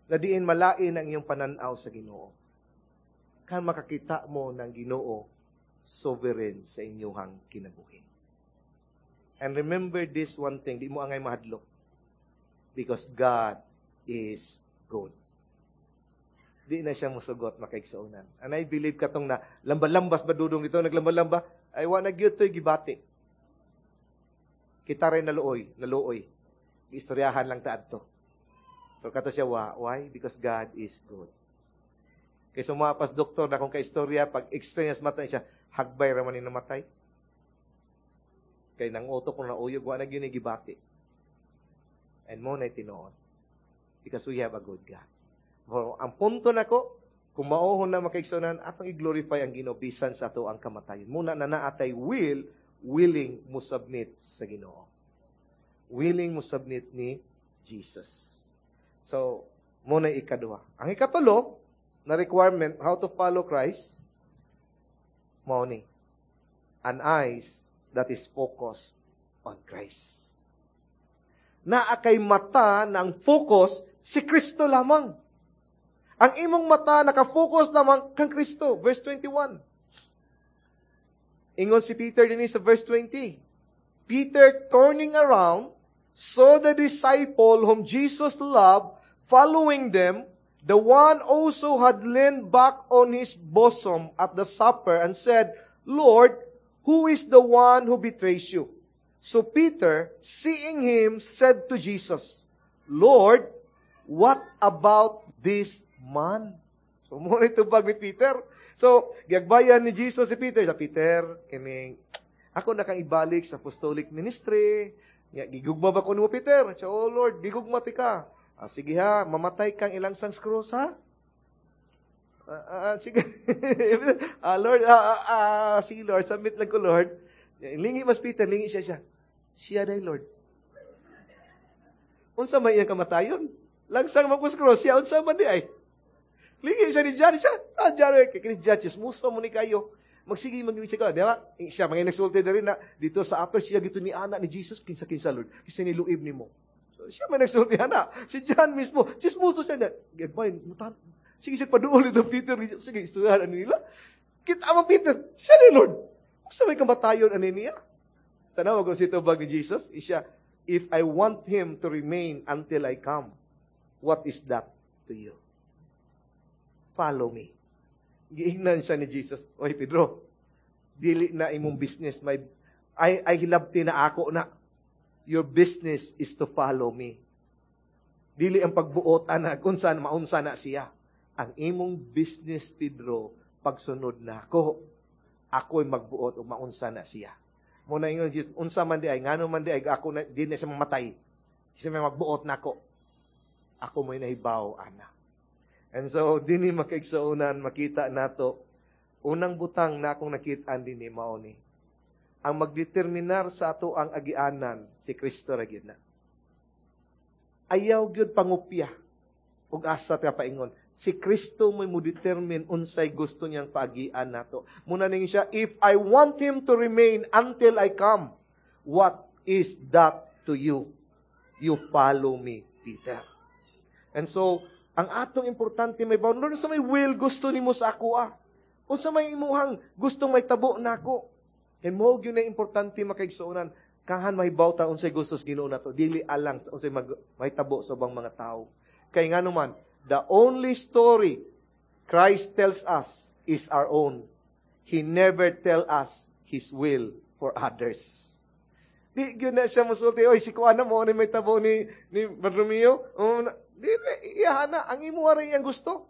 Na diin malain ang iyong pananaw sa Ginoo. Kan makakita mo ng Ginoo sovereign sa inyong kinabuhi. And remember this one thing, di mo angay mahadlok. Because God is good. Di na siya musugot makaigsuonan. And I believe katong na lamba-lambas ba dudong ito, naglambalamba, ay wa na gyud to'y gibati. Kita rin naluoy, naluoy. Istoryahan lang ta adto. Pero kato siya, why? Because God is good. Kay sumapas doktor na kung ka-istorya, pag experience mata siya, hagbay raman ni namatay. Kay nang auto ko na uyog, wa na gyud gibati. And mao na tinuod. Because we have a good God. So, ang punto nako, kung maohon na, makaigsunan, atong i-glorify ang Ginoo bisan sa ato ang kamatayon. Muna na naatay will, willing mo submit sa Ginoo. Willing mo submit ni Jesus. So, muna ikaduha. Ang ikatulo na requirement how to follow Christ, mao ni an eyes that is focused on Christ. Naa kay mata ng focus si Kristo lamang. Ang imong mata naka-focus lamang kang Kristo. Verse 21. Ingon si Peter din sa verse 20. Peter, turning around, saw the disciple whom Jesus loved following them, the one also had leaned back on his bosom at the supper and said, "Lord, who is the one who betrays you?" So Peter, seeing him, said to Jesus, "Lord, what about this man?" So, mao tubag ni Peter. So, giagbayan ni Jesus si Peter. Sa Peter, kining, ako na kang ibalik sa apostolic ministry. Ya, gigugma ba ko nimo, Peter? Siya, "Oh Lord, gigugma ti ka." "Ah, sige ha, mamatay kang ilangsang krus ha." Sige. Lord, sige Lord, submit lang ko, Lord. Lingi mas Peter, lingi siya siya. "Siya day, Lord." Unsa may iyang kamatayon? Langsang magkus cross, siya unsa man di ay. Lingi siya ni John, siya. John, kay kini John, chismoso mo ni kayo. Magsige mag siya ka, di ba? Siya mga nagsulti na rin na dito sa upper siya gito ni anak ni Jesus kinsa kinsa, Lord. Kinsa niluib nimo. So, siya man nagsulti ana. Si John mismo, chismoso siya na. Gagmay, mutan. Sige siya paduol ito Peter. Sige, istoryahan ani nila. Kita mo Peter, siya ni Lord. Unsa may kamatayon ani niya? Tanaw kung si tubag ni Jesus, siya, "If I want him to remain until I come, what is that to you? Follow me." Giingnan siya ni Jesus, "Oy Pedro, dili na imong business, may ay hilabti na ako na. Your business is to follow me. Dili ang pagbuot ana unsa maunsa na siya. Ang imong business, Pedro, pagsunod na ako. Ako'y magbuot o maunsa na siya." Muna ingon Jesus, unsa man di ay, ngano man di ay, ako na, di na siya mamatay. Siya may magbuot nako. Ako mo'y nahibaw, ana. And so, dinhi, makaigsuonan, makita nato, unang butang na akong nakitaan dinhi mao ni ang magdeterminar sa ato ang agianan, si Kristo ra gyud na. Ayaw gyud pangupya ug asa ta paingon. Si Kristo mo'y mo determine unsay gusto niyang paagian nato. Muna ning siya, "If I want him to remain until I come, what is that to you? You follow me, Peter." And so, ang atong importante may bawon, Lord, sa may will gusto nimo sa ako ah. Unsa may imuhang gustong may tabo nako. And mo gyud na importante, makaigsuonan, kahan mahibaw ta unsay gusto sa Ginoo nato, dili alang sa unsay mahitabo sa ubang mga tao. Kay ngano man, the only story Christ tells us is our own. He never tell us His will for others. Di gyud na siya musulti, "Oy, si kuana mo ni may tabo ni Bartolomeo." Oh, di iya na ang imuha ra iyang gusto.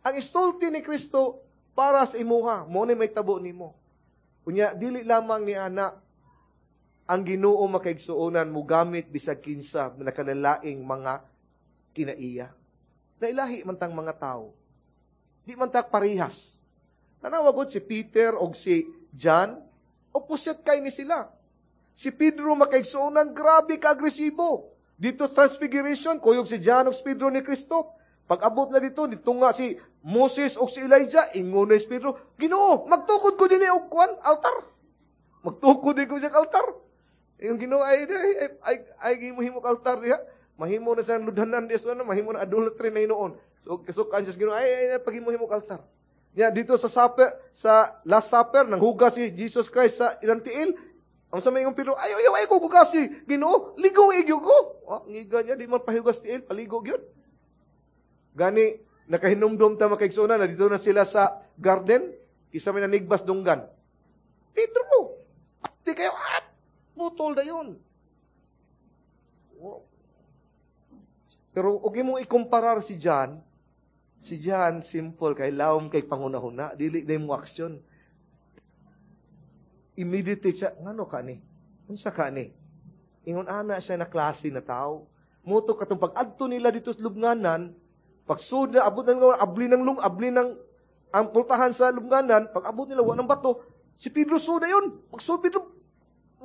Ang isulti ni Kristo para sa imuha, mo ni may tabo nimo. Unya dili lamang ni ana, ang Ginoo, makaigsuonan, mugamit bisag kinsa nakalalaing mga kinaiya. Lailahi man tang mga tao. Di man ta parehas. Tanawa gud si Peter og si John, opposite kay ni sila. Si Pedro, makaigsuonan, grabe ka agresibo. Dito sa Transfiguration, kuyog si John og si Pedro ni Kristo. Pag abot na dito, dito nga si Moses o si Elijah, ingon na si Pedro, "Ginoo, magtukod ko din og kuan, altar. Magtukod din ko siya altar." Yung Ginoo ay, ay, ay, altar diha. Mahimo na sa ludhanan diya sa ano, mahimo na idolatry na hinuon. So kasukan siya sa Ginoo, ay, paghimo-himo altar. Ya dito sa supper, sa Last Supper, nang hugas si Jesus Christ sa ilang tiil. Ang sa mayong Pedro, "Ay, ay, ay, ko hugas si Ginoo, ligo igyo ko." Oh, ngiga niya, di man pahugas tiil, paligo gyud. Gani, nakahinumdum ta, makaigsuonan, na dito na sila sa garden, isa may nanigbas dunggan. Pedro, di kayo, putol na yun. Pero og imong ikumparar si John simple kay lawom kay pangunahuna, dili day mo aksyon. Immediately siya, "Ngano ka ni?" Unsa ka ni? Ingon ana siya na klase na tao. Mao to katong pag-adto nila dito sa lubnganan, pagsud na abot na abli ng lung abli ng ang pultahan sa lubnganan, pag abot nila wa ng bato, si Pedro suda yun. Pag sud Pedro,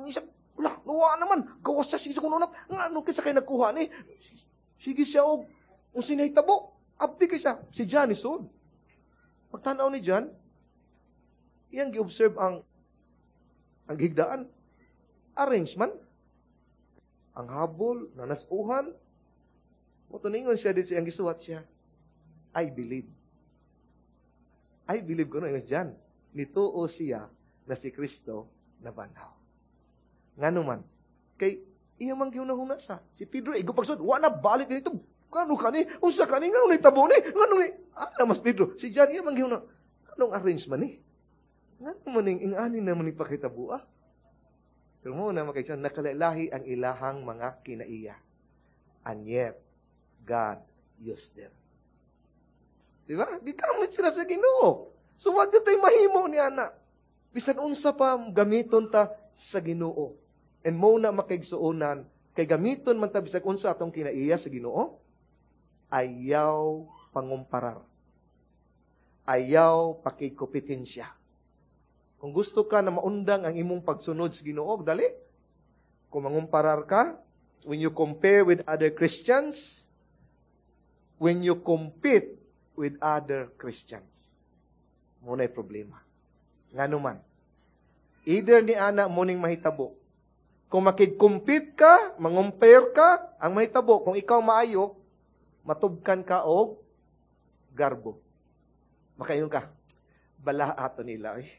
isa, wala, nawa naman. Gawas siya, sige kuno nga ano kinsa kay nagkuha ni? Sige siya og kung sinahitabo, abdi kay siya. Si John ni sud. Pagtanaw ni John, iyang gi-observe ang higdaan. Arrangement. Ang habol, nanasuhan. Mao ningon siya dito, iyang gisuwat siya. "I believe. I believe" kuno ingon si John. Nituo siya na si Kristo nabanhaw. Ngano man? Kay iya man gihuna-huna sa. Si Pedro, igo pagsud, wa na balik dito. Kano kani? Unsa kani? Ngano ni tabo ni? Ngano ni? Ana mas Pedro. Si John iya man gihuna. Anong arrangement ni? Ngano man ning ingani naman ni pakitabo ah? Pero mo na makikita, nakalahi ang ilahang mga kinaiya. And yet, God used them. Di ba? Gigamit sila sa Ginoo. So, wag tayo mahimo ni ana. Bisan unsa pa, gamiton ta sa Ginoo. And mo na makaigsuonan, kay gamiton man ta bisag unsa atong kinaiya sa Ginoo, ayaw pangumparar. Ayaw pakigkompetensya. Kung gusto ka na maundang ang imong pagsunod sa Ginoo, dali. Kung mangumparar ka, when you compare with other Christians, when you compete with other Christians, mao na'y problema. Ngano man? Either ni ana mo ning mahitabo. Kung makig-compete ka, mangumpare ka, ang mahitabo, kung ikaw maayo, matubkan ka og garbo. Makaingon ka, "Bala ato nila eh.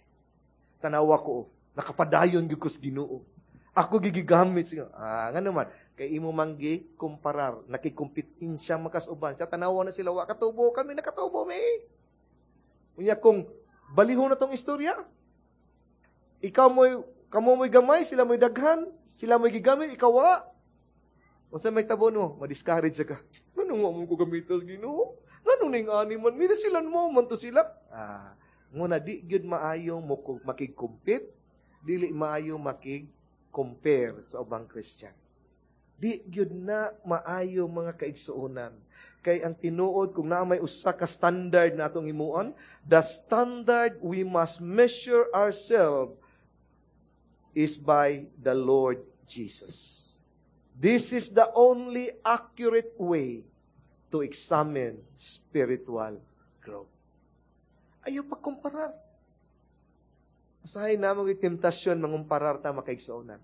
Tanawa ko, oh, nakapadayon gyud ko sa Ginoo. Ako gigigamit siya." Ah, ngano man? Kay imo man gi kumparar, nakigkompetensya makasuban. Siya tanawa na sila wa katubo, kami nakatubo mi. Unya kung balihon na tong istorya, ikaw mo'y kamo mo'y gamay, sila mo'y daghan, sila mo'y gigamit, ikaw wa. Unsa may tabo no? Ma-discourage ka. Ngano nga mo ko gamitos Ginoo? Ngano ning ani man mi sila mo man to sila? Ah, nguna di gyud maayo mo makig-compete, dili maayo makig-compare sa ubang Christian. Di gyud na maayo, mga kaigsuonan. Kay ang tinuod, kung naa may usa ka standard na atong himuon, the standard we must measure ourselves is by the Lord Jesus. This is the only accurate way to examine spiritual growth. Ayaw pagkumparar. Usahay na mga temptasyon mangumparar ta, makaigsuonan.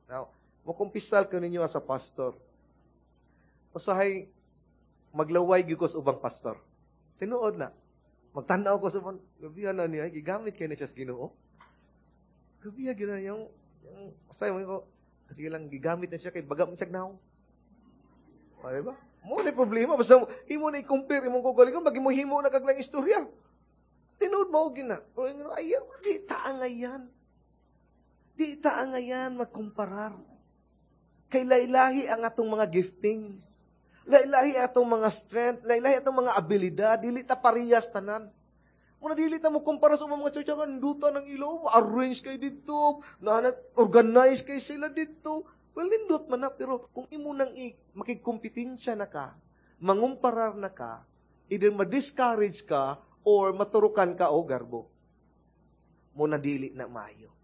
Now, makumpisal ko ninyo as a pastor. Usahay maglaway gyud ko sa ubang pastor. Tinuod na. Magtanaw ko sa ubang, grabe na niya, gigamit kay na siya sa Ginoo. Grabe gyud na yung usahay mo ko, sige lang, gigamit na siya kay baga mo siya naw. O, di ba? Mo na problema. Basta imo na i-compare imong kaugalingon, bagi mo himo na kaglang istorya. Tinuod mo gina. Ayaw, di taangayan. Di taangayan magkumparar. Kay laylahi ang atong mga giftings. Laylahi atong mga strength, laylahi atong mga abilidad, dili ta parehas tanan. Muna dili ta mo kumpara sa mga church nga ninduta ng ilo, arrange kay dito, na organize kay sila dito. Well, nindot man na, pero kung imo nang makigkompetensya na ka, mangumparar na ka, either ma-discourage ka or maturukan ka o garbo. Muna dili na maayo.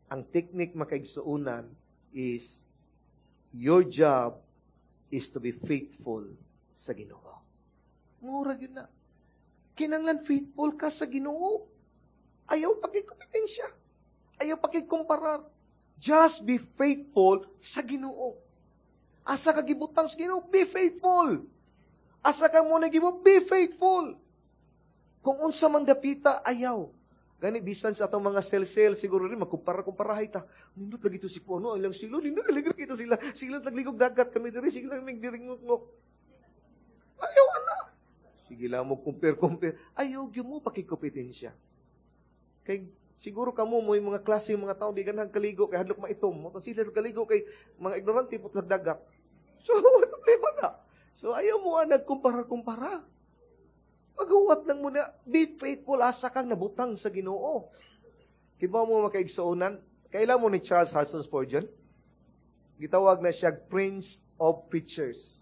Ang technique, makaigsuonan, is your job is to be faithful sa Ginoo. Mura gyud na. Kinanglan faithful ka sa Ginoo. Ayaw pagkikompetensya. Ayaw pagkikumparar. Just be faithful sa Ginoo. Asa ka gibutang sa Ginoo, be faithful. Asa ka mo nagibot, be faithful. Kung unsa man dapita, ayaw. Gani bisan sa atong mga cell-cell, siguro rin, magkumpara-kumparahay ta. Nindot lagi to si Puno, ilang silo, nindot lagi to sila. Sila tagligog dagat kami diri, sige lang mig diri ngok. Ayaw ana. Sige lang mo compare-compare. Ayaw gyud mo pakikompetensya. Kay siguro kamo mo yung mga klase mga tao di ganahan kaligo kay hadlok maitom. Mo sila kaligo kay mga ignorante putlag dagat. So, problema na. So, ayaw mo nagkumpara-kumpara. Maghuwat lang muna, be faithful asa kang nabutang sa Ginoo. Kibaw mo makaigsuonan, Kaila mo ni Charles Hudson Spurgeon? Gitawag na siya Prince of Preachers.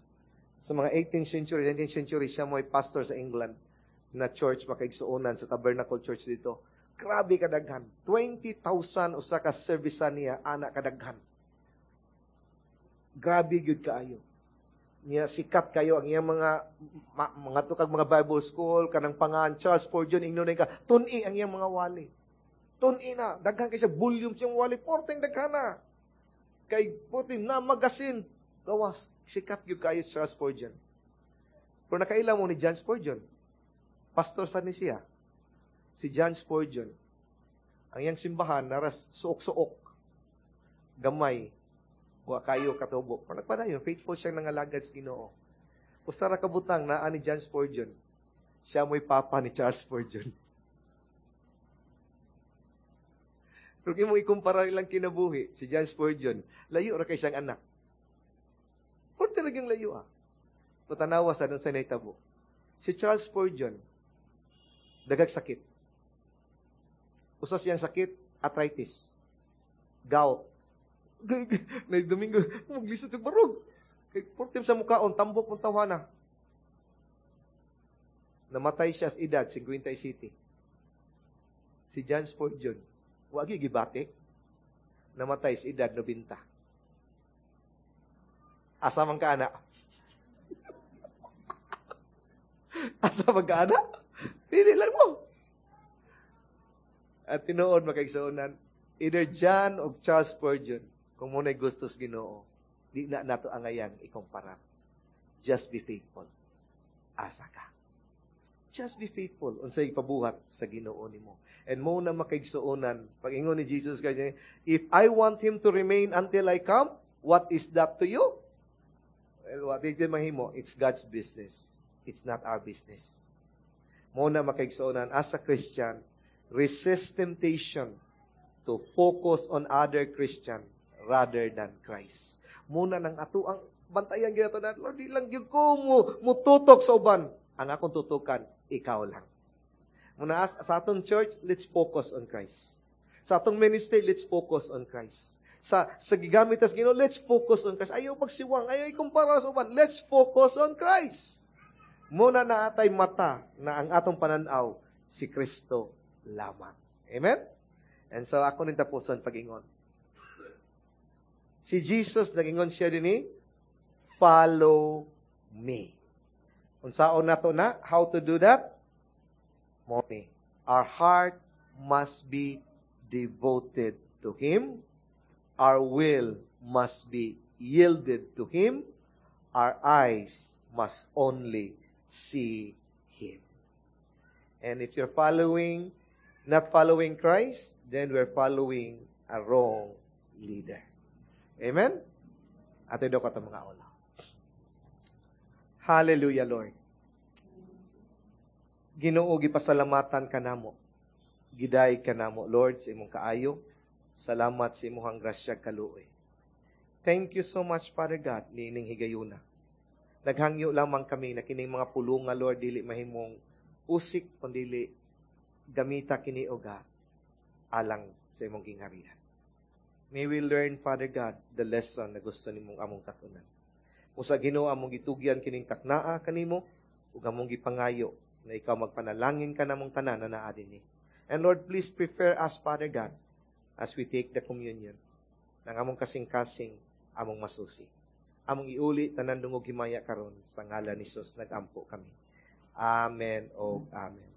Sa mga 18th century, 19th century, siya mo'y pastor sa England na church, makaigsuonan sa Tabernacle Church dito. Grabe kadaghan. 20,000 usa ka service niya, ana kadaghan. Grabe gyud kaayo. Niya sikat kayo ang iyang mga mga tukag mga Bible school kanang pangan Charles Spurgeon, ingnon ka tun-i ang iyang mga wali. Tun-i na daghan kay siya volume siyang wali, porteng daghan na. Kay puti na magasin gawas, sikat gyud kayo si Charles Spurgeon. Pero nakaila mo ni John Spurgeon? Pastor sa ni siya. Si John Spurgeon. Ang iyang simbahan naras suok-suok. Gamay. Wa kayo katubo. Pero nagpadayon, faithful siyang nangalagad sa Ginoo. Usa ra ka butang naa ni John Spurgeon. Siya mo'y papa ni Charles Spurgeon. Pero kung mo ikumpara ilang kinabuhi, si John Spurgeon, layo ra kay siyang anak. Pero talagang layo ah. Patanawa sa sa nahitabo. Si Charles Spurgeon, dagag sakit. Usa siyang sakit, arthritis. Gout. Nay Domingo, maglisod sa barog. Kay portim sa mukaon, tambok mong tawana. Namatay siya sa edad, 57. Si John Spurgeon, wagi gibati. Namatay sa edad, 90. Asa man ka, ana? Asa man ka, ana? Pili lang mo. At tinuod makaigsuonan, either John o Charles Spurgeon, kung muna'y gustos Ginoo, di na nato angayang ikumpara. Just be faithful. Asa ka. Just be faithful unsay ipabuhat sa Ginoo nimo. And mo na makaigsuonan, pag-ingon ni Jesus Christ, "If I want him to remain until I come, what is that to you?" Well, what did mahimo? It's God's business. It's not our business. Mo na makaigsuonan, as a Christian, resist temptation to focus on other Christian rather than Christ. Muna nang ato ang bantayan gyud na, "Lord, di lang gyud ko mo mututok sa uban. Ang akong tutukan, ikaw lang." Muna as, sa atong church, let's focus on Christ. Sa atong ministry, let's focus on Christ. Sa gigamit tas Ginoo, let's focus on Christ. Ayaw pagsiwang, ayaw ikumpara sa uban. Let's focus on Christ. Muna na atay mata na ang atong pananaw si Kristo lamang. Amen? And so ako ning tapuson pag-ingon. Si Jesus, nagingon siya dinhi, "Follow me." Unsaon nato na? How to do that? Mo ni. Our heart must be devoted to Him. Our will must be yielded to Him. Our eyes must only see Him. And if you're not following Christ, then we're following a wrong leader. Amen? Ate do ka mga ola. Hallelujah, Lord. Ginoo, gipasalamatan ka namo. Giday ka namo, Lord, sa imong kaayo. Salamat sa imong grasya kaluoy. Thank you so much, Father God, niining higayuna. Naghangyo lamang kami na kining mga pulunga, Lord, dili mahimong usik, kundili gamita kini, O God, alang sa imong gingharian. May we learn, Father God, the lesson na gusto nimong among katunan. Usa Ginoo, among gitugyan kining taknaa kanimo ug among gipangayo na ikaw magpanalangin ka namong tanan na naa dinhi. And Lord, please prepare us, Father God, as we take the communion. Nang among kasing-kasing, among masusi. Among iuli tanan dungog himaya karon sa ngalan ni Jesus nagampo kami. Amen o amen.